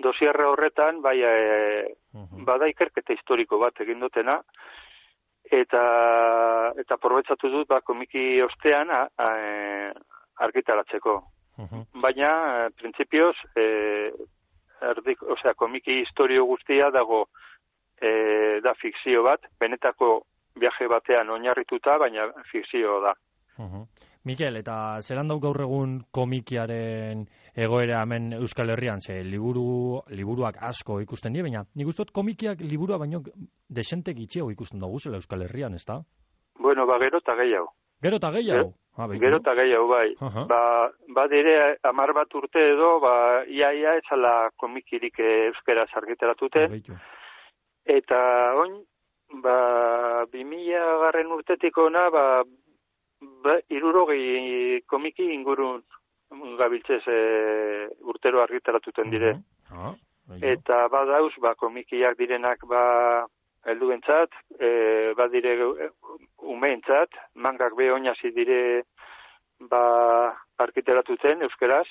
dosierre horretan, bai, e, uh-huh. bada ikerketa historiko bat egin dutena, eta eta probetxatu dut, ba, komiki ostean a, a, argitaratzeko. Uh-huh. Baina, e, printzipioz, e, erdik, osea, komiki historio guztia dago e, da fikzio bat, benetako viaje batean oinarrituta, baina fikzio da. Uh-huh. Mikel, eta zelan dau gaur egun komikiaren egoera hemen Euskal Herrian, ze liburu, liburuak asko ikusten die, baina nik uste dut komikiak liburua baino desente gitxiago ikusten dugu zela Euskal Herrian, ez da? Bueno, ba, gero eta gehiago. Gero eta gehiago? Ah, gero eta gehiago, bai. Uh-huh. Ba, ba dire, amar bat urte edo, ba, ia, ia, ezala komikirik euskaraz argitaratuten. Eta, oin, ba, bimila garren urtetik ona, ba, ba irurogei komiki ingurun gabiltzez e, urtero argitaratuten dire. Uh-huh. Ah, eta badauz, ba, komikiak direnak, ba, helduentzat, e, badire umeentzat, mangak be oinazi dire ba argitaratuten euskeraz.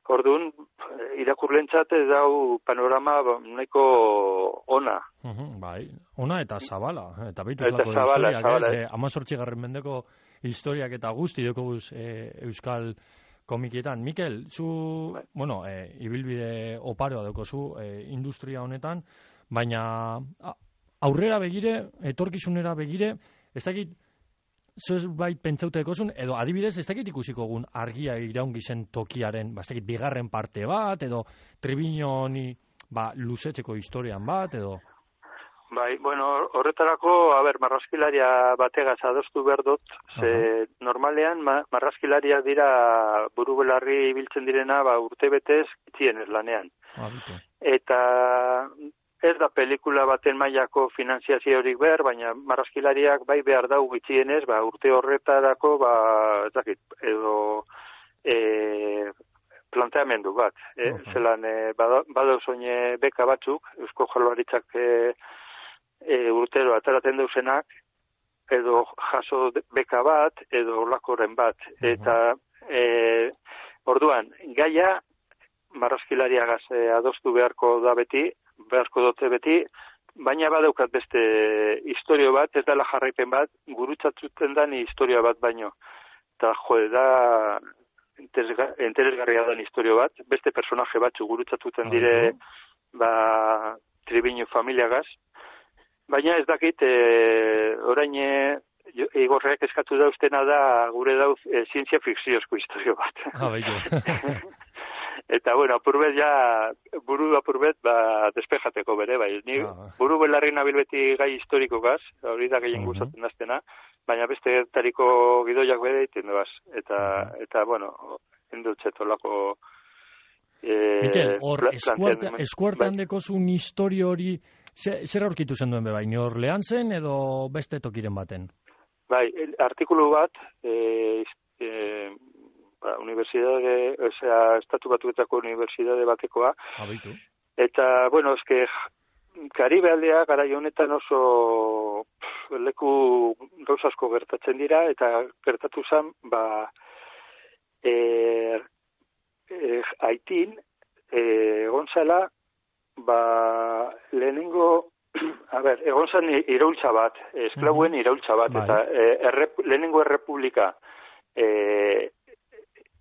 Orduan, irakurlentzat ez dau panorama nahiko ona. Uh-huh, bai, ona eta zabala. Eta beitu eta lako zabala, historiak, zabala, eh? amazortzigarren mendeko historiak eta guzti dekoguz eh, euskal komikietan. Mikel, zu, bai. bueno, eh, ibilbide oparoa daukozu eh, industria honetan, baina aurrera begire, etorkizunera begire, ez dakit, zuz bait pentsautekozun, edo adibidez, ez dakit ikusiko gun argia iraungi zen tokiaren, ba, ez dakit, bigarren parte bat, edo Triviñoni, ba, luzetzeko historian bat, edo... Bai, bueno, horretarako, a ber, marrazkilaria bategaz adostu behar dut, ze uh-huh. normalean ma, marrazkilaria dira buru belarri biltzen direna, ba, urte betez, itzienez lanean. Ah, eta ez da pelikula baten mailako finanziaziorik behar, baina marrazkilariak bai behar dau gitxienez, ba, urte horretarako, ba, ez dakit, edo e, planteamendu bat. E, okay. Zelan, e, badauz oine beka batzuk, Eusko Jaurlaritzak e, e, urtero ataraten dauzenak, edo jaso beka bat, edo lakoren bat. Uh-huh. Eta, e, orduan, gaia marrazkilariagaz e, adostu beharko da beti, beharko dute beti, baina badaukat beste historio bat, ez dela jarraipen bat, gurutzatzuten da ni historia bat baino. Eta jo, da interesgarria da historio bat, beste personaje batzu gurutzatuten dire, ba, Triviño familiagaz, baina ez dakit, e, orain Igorreak eskatu dauztena da, gure dauz, e, zientzia fikziozko historio bat. Ah, baina. Eta, bueno, apurbet ja, buru apurbet, ba, despejateko bere, bai. Ni ah. buru belarri nabil beti gai historiko gaz, hori da gehien uh-huh. gustatzen daztena, baina beste tariko gidoiak bere iten duaz. Eta, uh-huh. eta bueno, endutxetolako... Eh, Mikel, hor, eskuartan bai. Dekozun historio hori, zer aurkitu zen duen be, bai? Ni Orleansen edo beste tokiren baten? Bai, artikulu bat, eh, eh, ba, universidade, o sea, estatu batuetako universidade batekoa. Abitu. Eta, bueno, eske, Karibe aldea garai honetan oso pff, leku gauzasko gertatzen dira, eta gertatu zen, ba, e, e, Haitin, egon zela, ba, lehenengo, a ber, egon zen iraultza bat, esklauen iraultza bat, bai. Eta e, errep, lehenengo errepublika, e,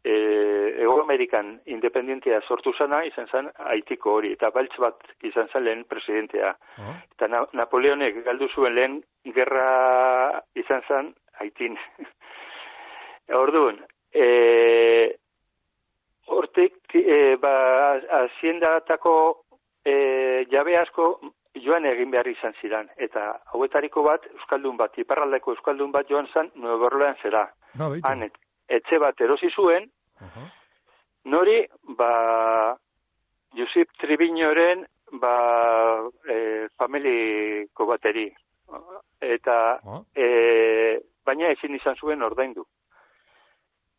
E, Ego Amerikan independentia sortu zana, izan zen Haitiko hori, eta baltz bat izan zen lehen presidentea. Oh. Eta na, Napoleonek galdu zuen lehen gerra izan zen Haitin. Orduan, e, hortik, e, ba, haziendatako e, jabe asko joan egin behar izan ziren, eta hauetariko bat, Euskaldun bat, iparraldeko Euskaldun bat joan zen Nueva Orleansera. No, Han, etxe bat erosi zuen, uh-huh. nori, ba, Josep Triviñoren ba, e, familiko bateri. Eta, e, baina ezin izan zuen ordaindu.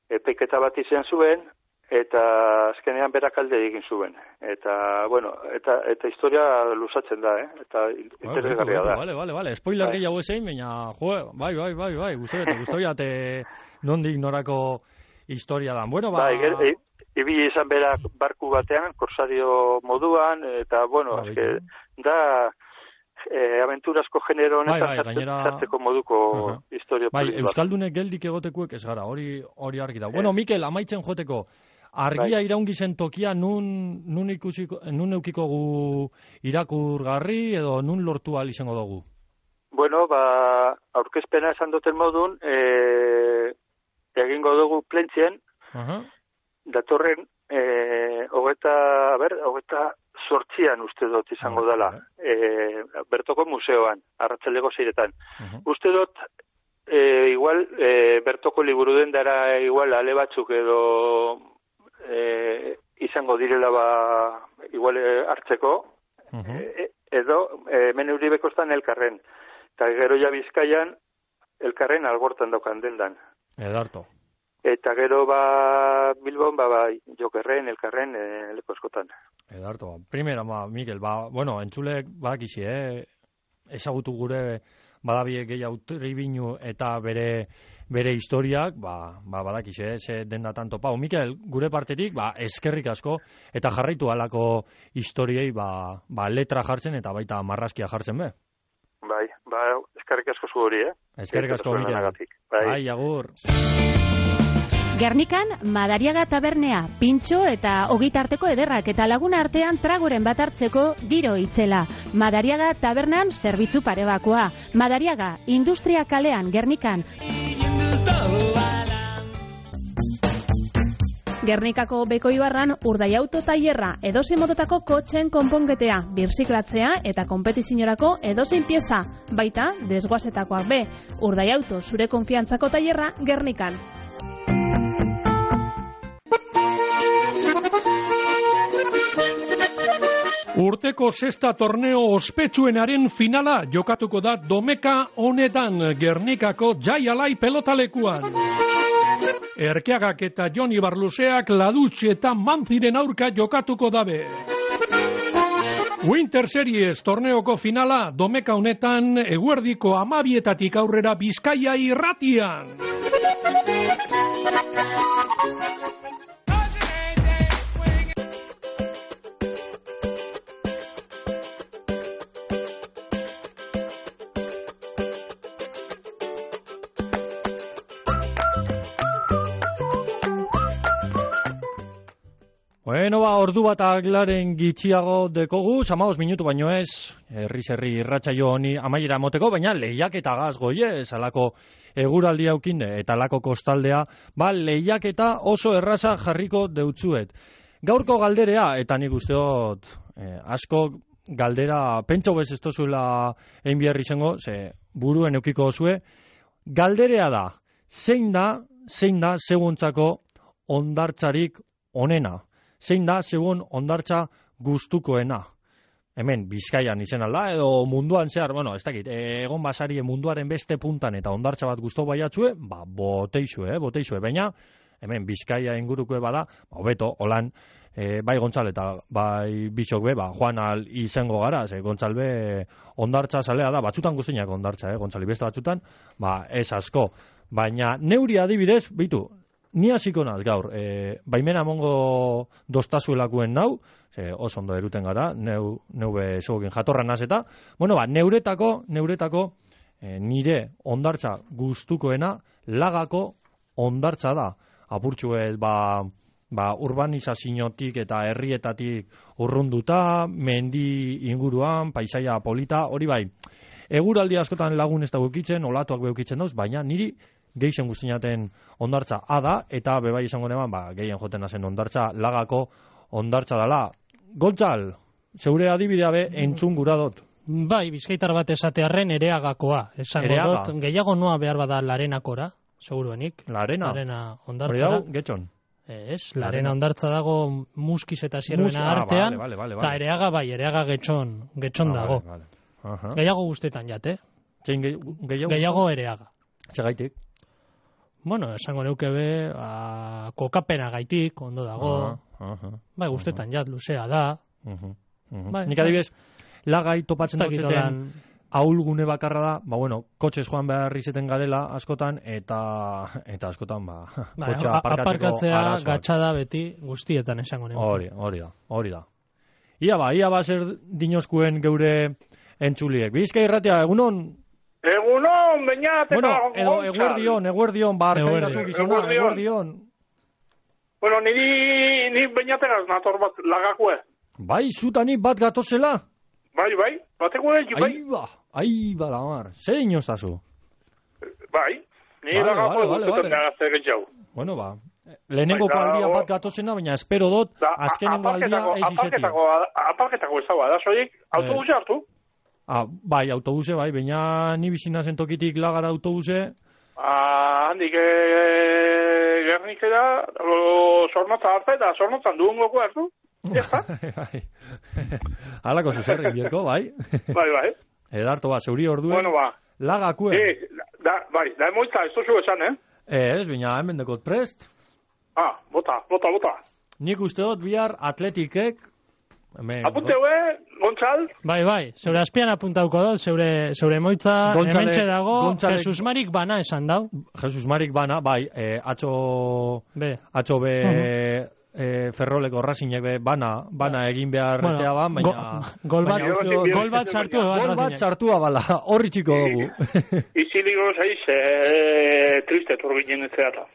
Epaiketa bat izan zuen, eta azkenean berak alde egin zuen. Eta, bueno, eta, eta historia lusatzen da, eh? Eta interesgarria da. Vale, vale, vale. Spoiler bai. gehiago ezein, baina, jo, bai, bai, bai, bai, guztu eta guztu jate nondik norako historia da. Bueno, ba... Bai, e, ibili izan berak barku batean, korsario moduan, eta, bueno, bai, eske, da... E, aventurasko genero honetan bai, bai, gainera... zartzeko moduko uh-huh. historio bai, politi bat. Euskaldunek geldik egotekuek ez gara, hori hori argi da. Eh. Bueno, Mikel, amaitzen joteko, argia bai. Iraungi zen tokia nun, nun, ikusiko, nun eukiko gu irakurgarri edo nun lortu ahal izango dugu? Bueno, ba, aurkezpena esan duten modun, e, egingo dugu plentzien, uh-huh. datorren, e, hogeta, ber, hogeta, sortzian uste dut izango oh, dela, e, Bertoko museoan, arratsaldeko seiretan. Uh-huh. Uste dut, e, igual, e, Bertoko liburu dendara igual ale batzuk edo e, izango direla ba, igual e, hartzeko, uh-huh. e, edo e, hemen Euribekostan elkarren. Eta gero ja Bizkaian elkarren algortan daukan dendan. Edarto. Eta gero ba Bilbon ba, ba Jokerren, elkarren e, leko askotan. Edarto, primera, ba, Mikel, ba, bueno, entzulek badakizi, eh? Ezagutu gure badabie gehiago tribinu eta bere bere historiak, ba, ba badakizi, eh? Ze denda tanto pau. Mikel, gure partetik, ba, eskerrik asko, eta jarraitu halako historiei, ba, ba, letra jartzen eta baita marrazkia jartzen be. Bai, ba, eskerrik asko zu hori, eh? Eskerrik asko, Mikel. Bai, bai agur. Gernikan, Madariaga tabernea, pintxo eta ogitarteko ederrak eta laguna artean tragoren bat hartzeko giro itzela. Madariaga tabernan zerbitzu parebakoa. Madariaga, industria kalean, Gernikan. Gernikako Beko Ibarran urdai auto tailerra, edozein modotako kotxen konpongetea, birziklatzea eta konpetiziorako edozein pieza, baita desguazetakoak be. Urdai auto, zure konfiantzako tailerra, Gernikan. Urteko sexta torneo ospetsuenaren finala jokatuko da domeka honetan Gernikako Jai Alai pelotalekuan. Erkeagak eta Joni Barluseak Ladutx eta Manziren aurka jokatuko dabe. Winter Series torneoko finala domeka honetan eguerdiko amabietatik aurrera Bizkaia irratian. Bueno, ba, ordu bat aglaren gitxiago dekogu, samaos minutu baino ez, herri-zerri irratsaio honi amaiera moteko, baina lehiak eta gazgoie, salako eguraldi haukinde, eta lako kostaldea, ba, lehiak eta oso erraza jarriko deutzuet. Gaurko galderea, eta nik usteot, eh, asko galdera, pentsa bez ez tozuela egin biharri zengo, ze buruen eukiko zue, galderea da, zein da, zein da, seguntzako ondartzarik onena. Zein da, segun ondartza gustukoena. Hemen, Bizkaian izen alda, edo munduan zehar, bueno, ez dakit, egon basarie munduaren beste puntan eta ondartza bat gustu baiatzue, ba, boteixue, eh, boteixue, baina, hemen, Bizkaia ingurukoe bada, ba, beto, holan, e, bai Gontzal eta bai Bitxok be, ba, joan al izango gara, ze Gontzal be ondartza zalea da, batzutan guztiak ondartza, eh, Gontzali beste batzutan, ba, ez asko. Baina, neuri adibidez, bitu, ni hasiko naz gaur, e, baimena mongo dostazuelakuen nau, ze oso ondo eruten gara, neu, neu be zegokin jatorra naz eta, bueno, ba, neuretako, neuretako, e, nire ondartza gustukoena, lagako ondartza da. Apurtxuet, ba, ba, urbanizaziotik eta herrietatik urrunduta, mendi inguruan, paisaia polita, hori bai, eguraldi askotan lagun ez da gukitzen, olatuak beukitzen dauz, baina niri gehien guztinaten ondartza ada, eta bebai izango neban, ba, gehien joten nazen ondartza, lagako ondartza dala. Gontzal, zeure adibidea be, entzun gura dut. Bai, bizkaitar bat esatearren ereagakoa. Esango Ereaga. dut, gehiago noa behar bada larenakora, seguruenik. Larena? Larena ondartzara. Hori dau, getxon. Ez, Larena ondartza dago Muskiz eta Zierbena ah, artean, vale, vale, vale, eta vale. Ereaga bai, Ereaga getxon, getxon Ah, dago. vale, vale. Aha. Gehiago guztetan jat, eh? Zein gehi- gehiago? Gehiago Ereaga. Segaitik? Bueno, esango neuke be, a, kokapena gaitik, ondo dago. Aha, aha. Bai, guztetan jat, luzea da. Mhm, mhm. Bai, Nik adibidez, lagai topatzen Ez dakit duten holan- ahulgune bakarra da, ba bueno, kotxez joan behar izeten garela askotan, eta eta askotan, ba, Bai, kotxa a- aparkatzeko aparkatzea arazoak. gatxada beti guztietan esango neuke. Hori, hori da, hori da. Ia ba, ia ba zer dinoskuen geure entzuliek. Bizkai irratia, egunon? Egunon, bainat, Bueno, eta edo Gontzal. eguerdion, eguerdion, bar, Eguerdion. kaitazu gizona, Eguerdion. eguerdion. Bueno, niri, ni bainategaz nator bat lagakue. Bai, zutani bat gatozela? Bai, bai, bateko egi, bai. Aiba, aiba la mar. Zer inostazu? Bai, ni Vale, lagakue vale, vale, guztetan vale. nagazte getxau. Bueno, ba, lehenengo Bai, da, aldia o- bat gatozena, baina espero dut, azkenengo aldia Aparketako, ez izetia. aparketako, aparketako ez dagoa, da, soiek, autobuse hartu. Ah, bai, autobuse, bai, baina ni bizina zen tokitik lagara autobuse. Ah, handik e, gernikera, o, zornotza arte, eta zornotzan duen goko hartu. Bai. Halako zuzerrik bierko, bai. Bai, bai. Edarto, ba, zeuri orduen. Bueno, ba. Lagakuen. Eh, da, bai, da emoitza, ez duzu esan, eh? Ez, baina hemen dekot prest. Ah, bota, bota, bota. Nik uste dut bihar atletikek. Hemen, Apunte hue, Gontzal. Bai, bai, zeure azpian apuntauko dut, zeure, zeure moitza Gontzale- hementxe dago, Gontzale- Jesus Marik bana esan dau. Jesus Marik bana, bai, eh, atxo... Be. Atxo be... Mhm. eh, Ferroleko Racingek be bana, bana egin behar Bueno, etea ban, baina... go- gol bat- baina uste dut- gol bat sartu eban Gol bat Racingek. sartu abala, horri txiko dugu. Iziliko zaiz, eh, triste turbinen ez zeata.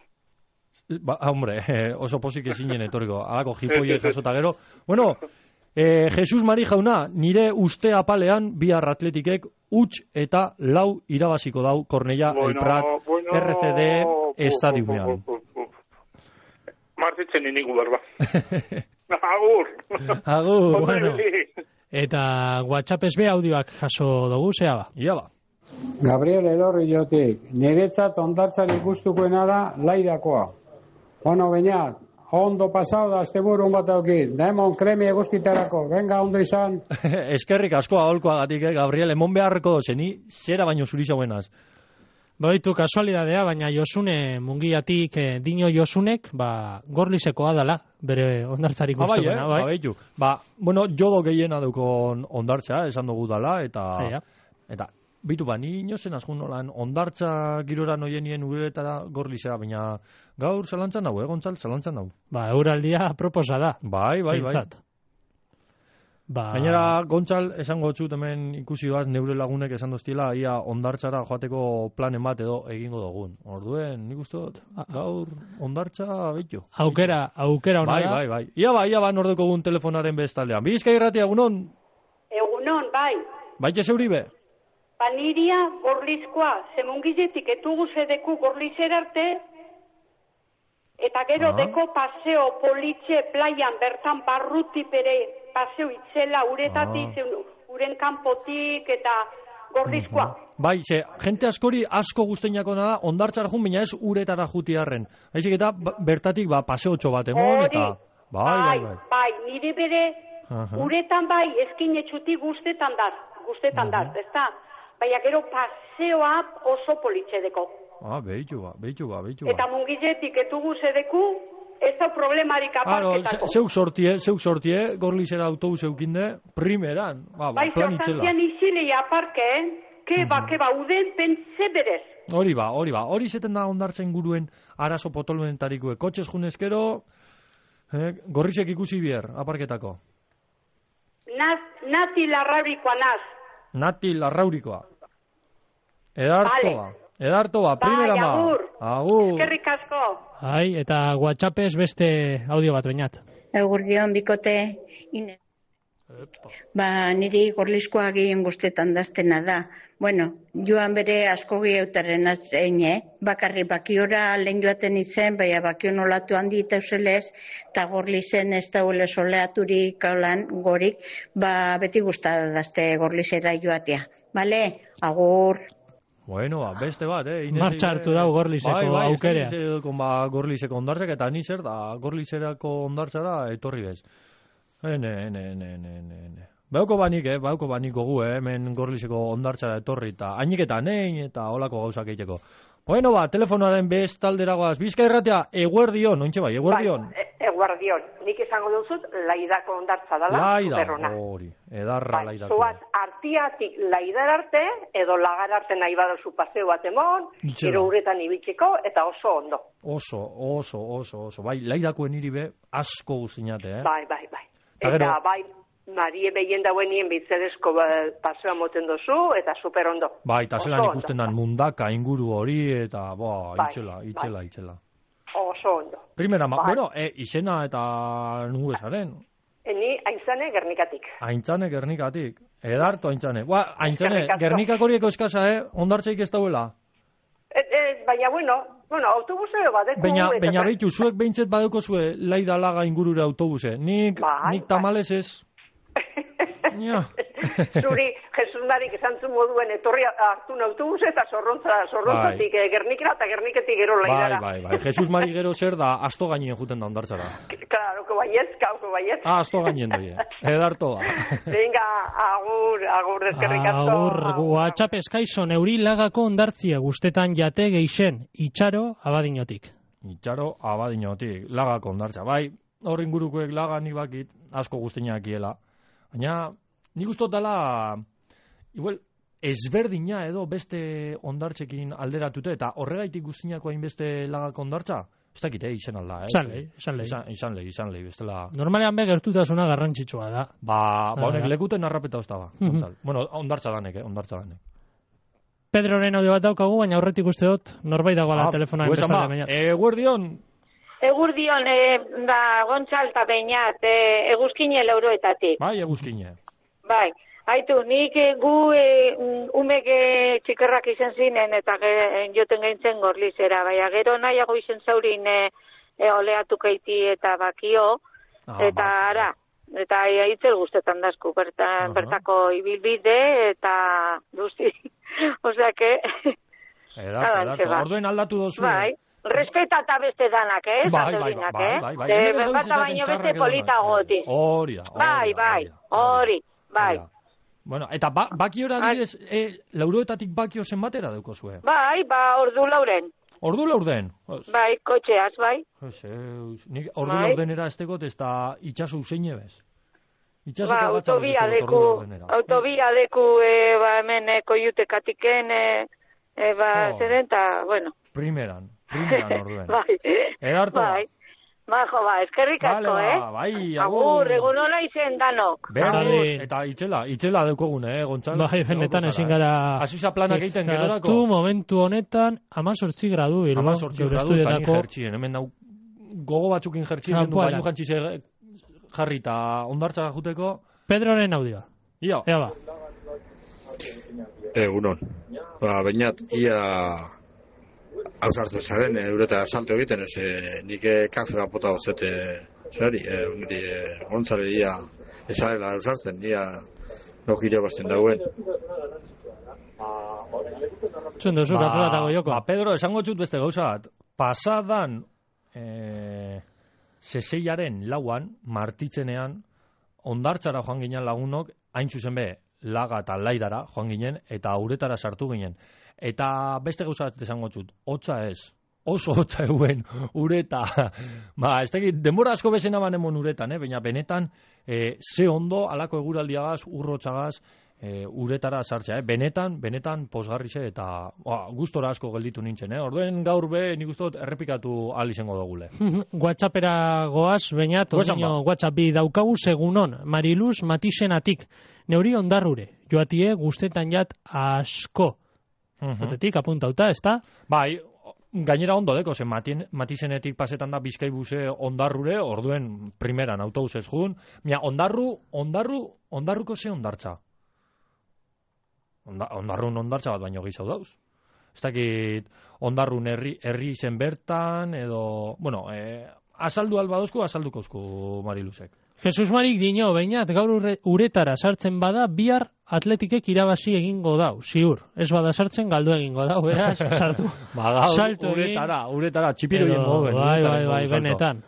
Ba, hombre, eh, oso pozik ezinen etorriko, alako Ez, jipoiek ez, ez. jasota gero. Bueno, eh, Jesus Mari jauna, nire uste apalean bihar atletikek huts eta lau irabaziko dau Kornella, El Prat, bueno, R C D estadiumean. Martitzen inigu berba. Agur. Agur. Ondo Bueno. ibili. Eta WhatsAppez be audioak jaso dugu, zea ba. Ia ba. Gabriel Elorri jotik, niretzat ondartzan ikustukoena da laidakoa. Bueno, baina, ondo pasau da, asteburun bat aukit, da emon kremi eguzkitarako, venga, ondo izan. Eskerrik asko aholkoagatik, eh, Gabriel, emon beharreko zeni, zera baino zuri zauenaz. Baitu kasualidadea, baina Josune mungiatik eh, dino Josunek, ba, gorlisekoa dala, bere ondartzarik Ah, bai, eh? gustukoena, bai. Ba, beitu. Ba, bueno, jodo gehiena daukon ondartza, esan dugu dala, eta... Eia. Eta, bitu ba, ni inozen azkun nolan, ondartza girora noienien uretara gorlizera, baina gaur zalantzan dago, eh, Gontzal, zalantzan dago. Ba, euraldia proposa da. Bai, bai, bai. Behintzat. Ba... Gainera, Gontzal, esango txut hemen ikusi baz, neure lagunek esan doztiela, ia ondartzara joateko planen bat edo egingo dugun. Orduen, nik uste dut, gaur ondartza bitu. Aukera, aukera hona Bai, da. bai, bai. Ia ba, ia ba, nordeko gun telefonaren bestaldean. Bizkai irratia, egunon, Egunon, bai. baitxe zeuri be? Paniria gorlizkoa, zemungizetik etugu zedeku gorlizer arte, eta gero Ah. deko paseo politxe plaian bertan barruti bere paseo itzela uretatik, Ah. zeun, uren kanpotik eta gorlizkoa. Bai, ze, jente askori asko guzteinako da, ondartzara jun, baina ez uretara jutiarren. Haizik eta ba, bertatik, ba, paseotxo bat emon, Hori, eta... Bai, bai, bai. bai, nire bere Aha. uretan bai, eskin etxutik guztetan dar, guztetan dar, ezta? Baina gero paseoa oso politxe deko. Ah, behitu ba, behitu ba, behitu ba. Eta mungizetik etugu zedeku, ez da problemarik Claro, aparketako. zeuk sortie, zeuk sortie, gorlizera autobus eukinde, primeran, ba, ba, Bai, plan zertan itzela. zian izilei aparke, eh? Keba, keba, uden pentze berez. Hori ba, hori ba, hori zeten da ondartzen guruen arazo potolumentarikue. Kotxez junezkero, eh, gorrizek ikusi bier, aparketako. Naz, nati larraurikoa naz. Nati larraurikoa. Edartoa, Vale. edartoa, primera ma. agur. Agur. Eskerrik asko. Ai, eta WhatsAppez beste audio bat bainat. Egurdion bikote, ine. Ba, niri gorlizkoa gehien guztetan daztena da. Bueno, joan bere asko gehiautaren azene, bakarri bakiora lehen joaten izen, baina bakion olatu handi eta uselez, eta gorlizen ez da ule soleaturik kaulan gorik, ba, beti guztada dazte gorlizera joatea. Bale, agur. Bueno, ba, beste bat, eh? Martxa hartu dau Gorlizeko bai, bai, aukerea. Bai, bai, ba, Gorlizeko ondartzak, eta ni zer da, Gorlizerako ondartzara etorri bez. Ene, ene, ene, ene, ene. Bauko banik, eh, bauko banik gogu, eh, hemen Gorlizeko ondartzara etorri, eta hainik eta nein, eta holako gauzak egiteko. Bueno, ba, telefonoaren bestalderagoaz, Bizkai Irratia, eguerdion, ointxe bai, eguerdion. Bai, eguerdion, nik esango duzut, laidako ondartza dela, Laida, superrona. hori, edarra bai, laidako. Zoaz, artiatik laidar arte, edo lagar arte nahi baduzu paseo bat emon, gero uretan ibiltzeko, eta oso ondo. Oso, oso, oso, oso, bai, laidakoen hiri be, asko guztiñate, eh? Bai, bai, bai. Ta Eta, gero, bai, Marie behien dauenien bitzerezko pasoa moten dozu, eta super ondo. bai, eta zelan Oso ikusten dan mundaka inguru hori, eta, boa, Bai, itxela, itxela, itxela. Oso ondo. Primera, ma, Bai. bueno, e, izena eta nugu esaren. Eni, aintzane, Gernikatik. Aintzane Gernikatik. Edarto Aintzane. Ba, Aintzane, Eskerrik asko. Gernikak horieko eskasa, eh? Ondartzeik ez dauela. E, e, baina, bueno, bueno, autobuseo badeko. Baina, eta- baina behitu, zuek behintzet badeko zue laida laga ingurura autobuse. Nik, Bai, nik tamales ez. Ja. Zuri, Jesus Marik esan zu moduen etorri hartu autobus eta zorrontza, zorrontzatik bai. Gernikera eta Gerniketik gero Bai, laidara. bai, bai. Jesus Mari gero zer da, asto gainen juten da ondartzara. Claro, que baietz, kauko baietz. Ah, asto gainen doi. Edarto da. Venga, agur, agur, eskerrik asko. Agur, WhatsApp eskaizon euri lagako ondartzia guztetan jate geixen, itxaro abadinotik. Itxaro abadinotik, lagako ondartza. Bai, hor ingurukoek laga ni bakit, asko guztinak iela. Baina, nik ustot dela, igual, ezberdina edo beste ondartzekin alderatute, eta horregaitik guztinako hainbeste lagako ondartza, ez dakit, eh, izan alda, eh? Izan lehi, izan lehi. Izan, izan lehi, izan lehi, bestela... Normalean be gertutasuna garrantzitsua da. Ba, ba honek Ah, lekuten arrapeta ozta ba. Mhm. Gontzal. Bueno, ondartza danek, eh, ondartza danek. Pedroren audio bat daukagu, baina aurretik uste dut, norbait dagoela Ah, telefonoa pues ama, enbestalde baina. eguerdion, Egurdion, e, ba, Gontzal eta Beñat, e, eguzkine lauroetatik. bai, eguzkine. Bai, haitu, nik e, gu e, umek e, txikerrak izan zinen eta ge, joten gaintzen Gorlizera, baina gero nahiago izen zaurin e, e, oleatu keiti eta bakio, Ah, eta ara, eta e, hitzel guztetan dazku, berta, Aha. bertako ibilbide eta guzti, osea que... Edarto, Adantxe, edarto. ba. Orduen aldatu dozu. Bai, respetata beste danak, eh? Bai, Zate bai, horinak, bai, eh? bai, bai. Ze Hemen ez bata gabiz baino esaten beste txarrak polita edo goti. Hori da, hori Bai, da, bai, hori da. hori, bai. Bueno, eta ba, bakiora adibidez, e, lauroetatik bakio zenbatera daukozue. Bai, ba, ordu lauren. Ordu laurden. Bai, kotxeaz, bai. Zeus, nik ordu Bai. laurdenera ez tegot, ez da itxasu usein ebez. Itxasoko Ba, batzak autobia ez tegot deku, ordu laurdenera. autobia deku, e, ba, hemen e, koiutekatiken, e, e, ba, Oh. zeren, ta, bueno. Primeran, primeran orduen. Bai, Edarto. bai. Ba, jo, ba, eskerrik Vale, asko, ba, eh? bai, Agur, agur. egun hola izen danok. Berdin, eta itxela, itxela deukogune, eh, Gontzal? Bai, benetan ezin gara... Hasiza planak egiten gerorako. Fijatu momentu honetan, amazortzi gradu, Bilbo. Amazortzi geure gradu, eta ni estudietako- jertxien, hemen dau, gogo batzukin jertxien, Ah, gendu voilà. baino jantzi ze jarri eta ondartza juteko. Pedroren audioa. Ia. Ea ba. Egunon. Ba, bainat, ia hausartzen zaren, eureta salto egiten, ez, e, nik e, kafe bat bota gozete, zari, e, uniri, e, gontzare ia, ezarela hausartzen, ia nokire basten dauen. Zuen duzu, ba, joko. Ba, Pedro, esango txut beste gauza bat. Pasadan, eh, seseiaren lauan, martitzenean, ondartzara joan ginen lagunok, hain zuzen be, laga eta laidara joan ginen, eta uretara sartu ginen. Eta beste gauza bat esango txut, hotza ez, oso hotza eguen ureta. Ba, ez dakit, denbora asko bezena banemon uretan, eh? Baina benetan, eh, ze ondo, alako eguraldiagaz, urrotzagaz, e, uretara sartzea, eh? Benetan, benetan posgarrize eta ba, gustora asko gelditu nintzen, eh? Orduen gaur be, nik uste dut errepikatu ahal izango dugule. WhatsAppera goaz, Beñat, Goazan odino ba. WhatsApp bi daukagu segunon, Mariluz Matisenatik, neuri ondarrure, joatie guztetan jat asko. Zotetik, apuntauta, ez da? Bai, gainera ondo deko, zen Matien, Matisenetik pasetan da Bizkaibuse ondarrure, orduen primeran autobusez jun, mira, ondarru, ondarru, ondarruko ze ondartza. Onda, ondarrun ondartza bat baino gehiago dauz. Ez dakit ondarrun herri, herri zen bertan, edo, bueno, eh, azaldu albadozku, azaldukozku Mariluzek. Jesus Marik dino, Beñat, gaur urre- uretara sartzen bada, bihar Atletikek irabazi egingo dau, ziur. Ez bada sartzen galdu egingo dau, beraz, sartu. Ba, gaur, Salto egin. uretara, uretara, txipiroien moden. Bai, bai, bai, benetan.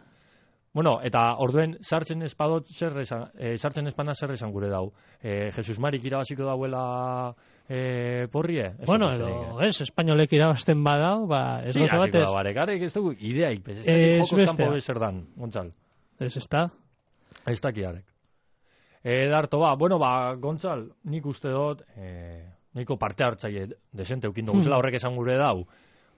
Bueno, eta orduen sartzen espadot zer esan, eh, sartzen espana zer esan gure dau. Eh, Jesus Marik irabaziko dauela eh, porrie? Ez Bueno, dut edo, besterik, ez, espainolek irabazten badau, ba, ez Sí, gozo hasiko batez. da, barekarek ez dugu ideaik, bez, ez Ez dakit jokos bestea. kanpo bezer dan, Gontzal. Ez, ez da. Ez dakiarek. E, darto, ba, bueno, ba, Gontzal, nik uste dut, e, niko parte hartzaile desente eukin duguzela, Hmm. horrek esan gure dau.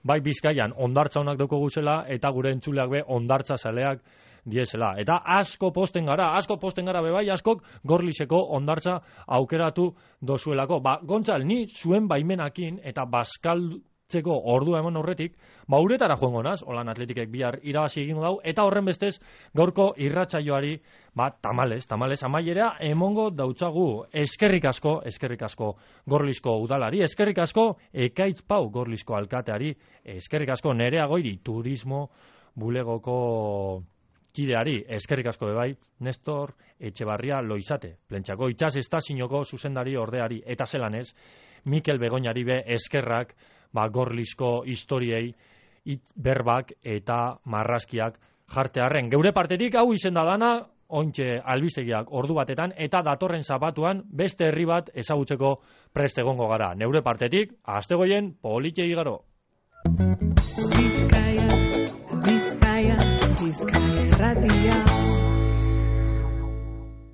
Bai Bizkaian ondartza honak doko guzela, eta gure entzuleak be ondartza zaleak diesela. Eta asko posten gara, asko posten gara be bai, askok Gorliseko ondartza aukeratu dozuelako. Ba, Gontzal, ni zuen baimenakin eta baskaltzeko ordua emon horretik, ba, uretara joango naz, holan Atletikek bihar irabazi egingo dau, eta horren bestez, gaurko irratsaioari, ba, tamales, tamales, amaiera emongo dautzagu. Eskerrik asko, eskerrik asko Gorlisko udalari, eskerrik asko Ekaitz Pau Gorlisko alkateari, eskerrik asko Nerea Goiri turismo bulegoko kideari, eskerrik asko bebai, Nestor Etxebarria Loizate, Plentxako itxas estazinoko zuzendari ordeari, eta zelanez, Mikel Begoñari be eskerrak, ba, Gorlisko historiei, it, berbak eta marrazkiak jartearren. Geure partetik hau izen da dana, ointxe albistegiak ordu batetan, eta datorren zapatuan beste herri bat ezagutzeko prest egongo gara. Neure partetik, astegoien politxe igaro.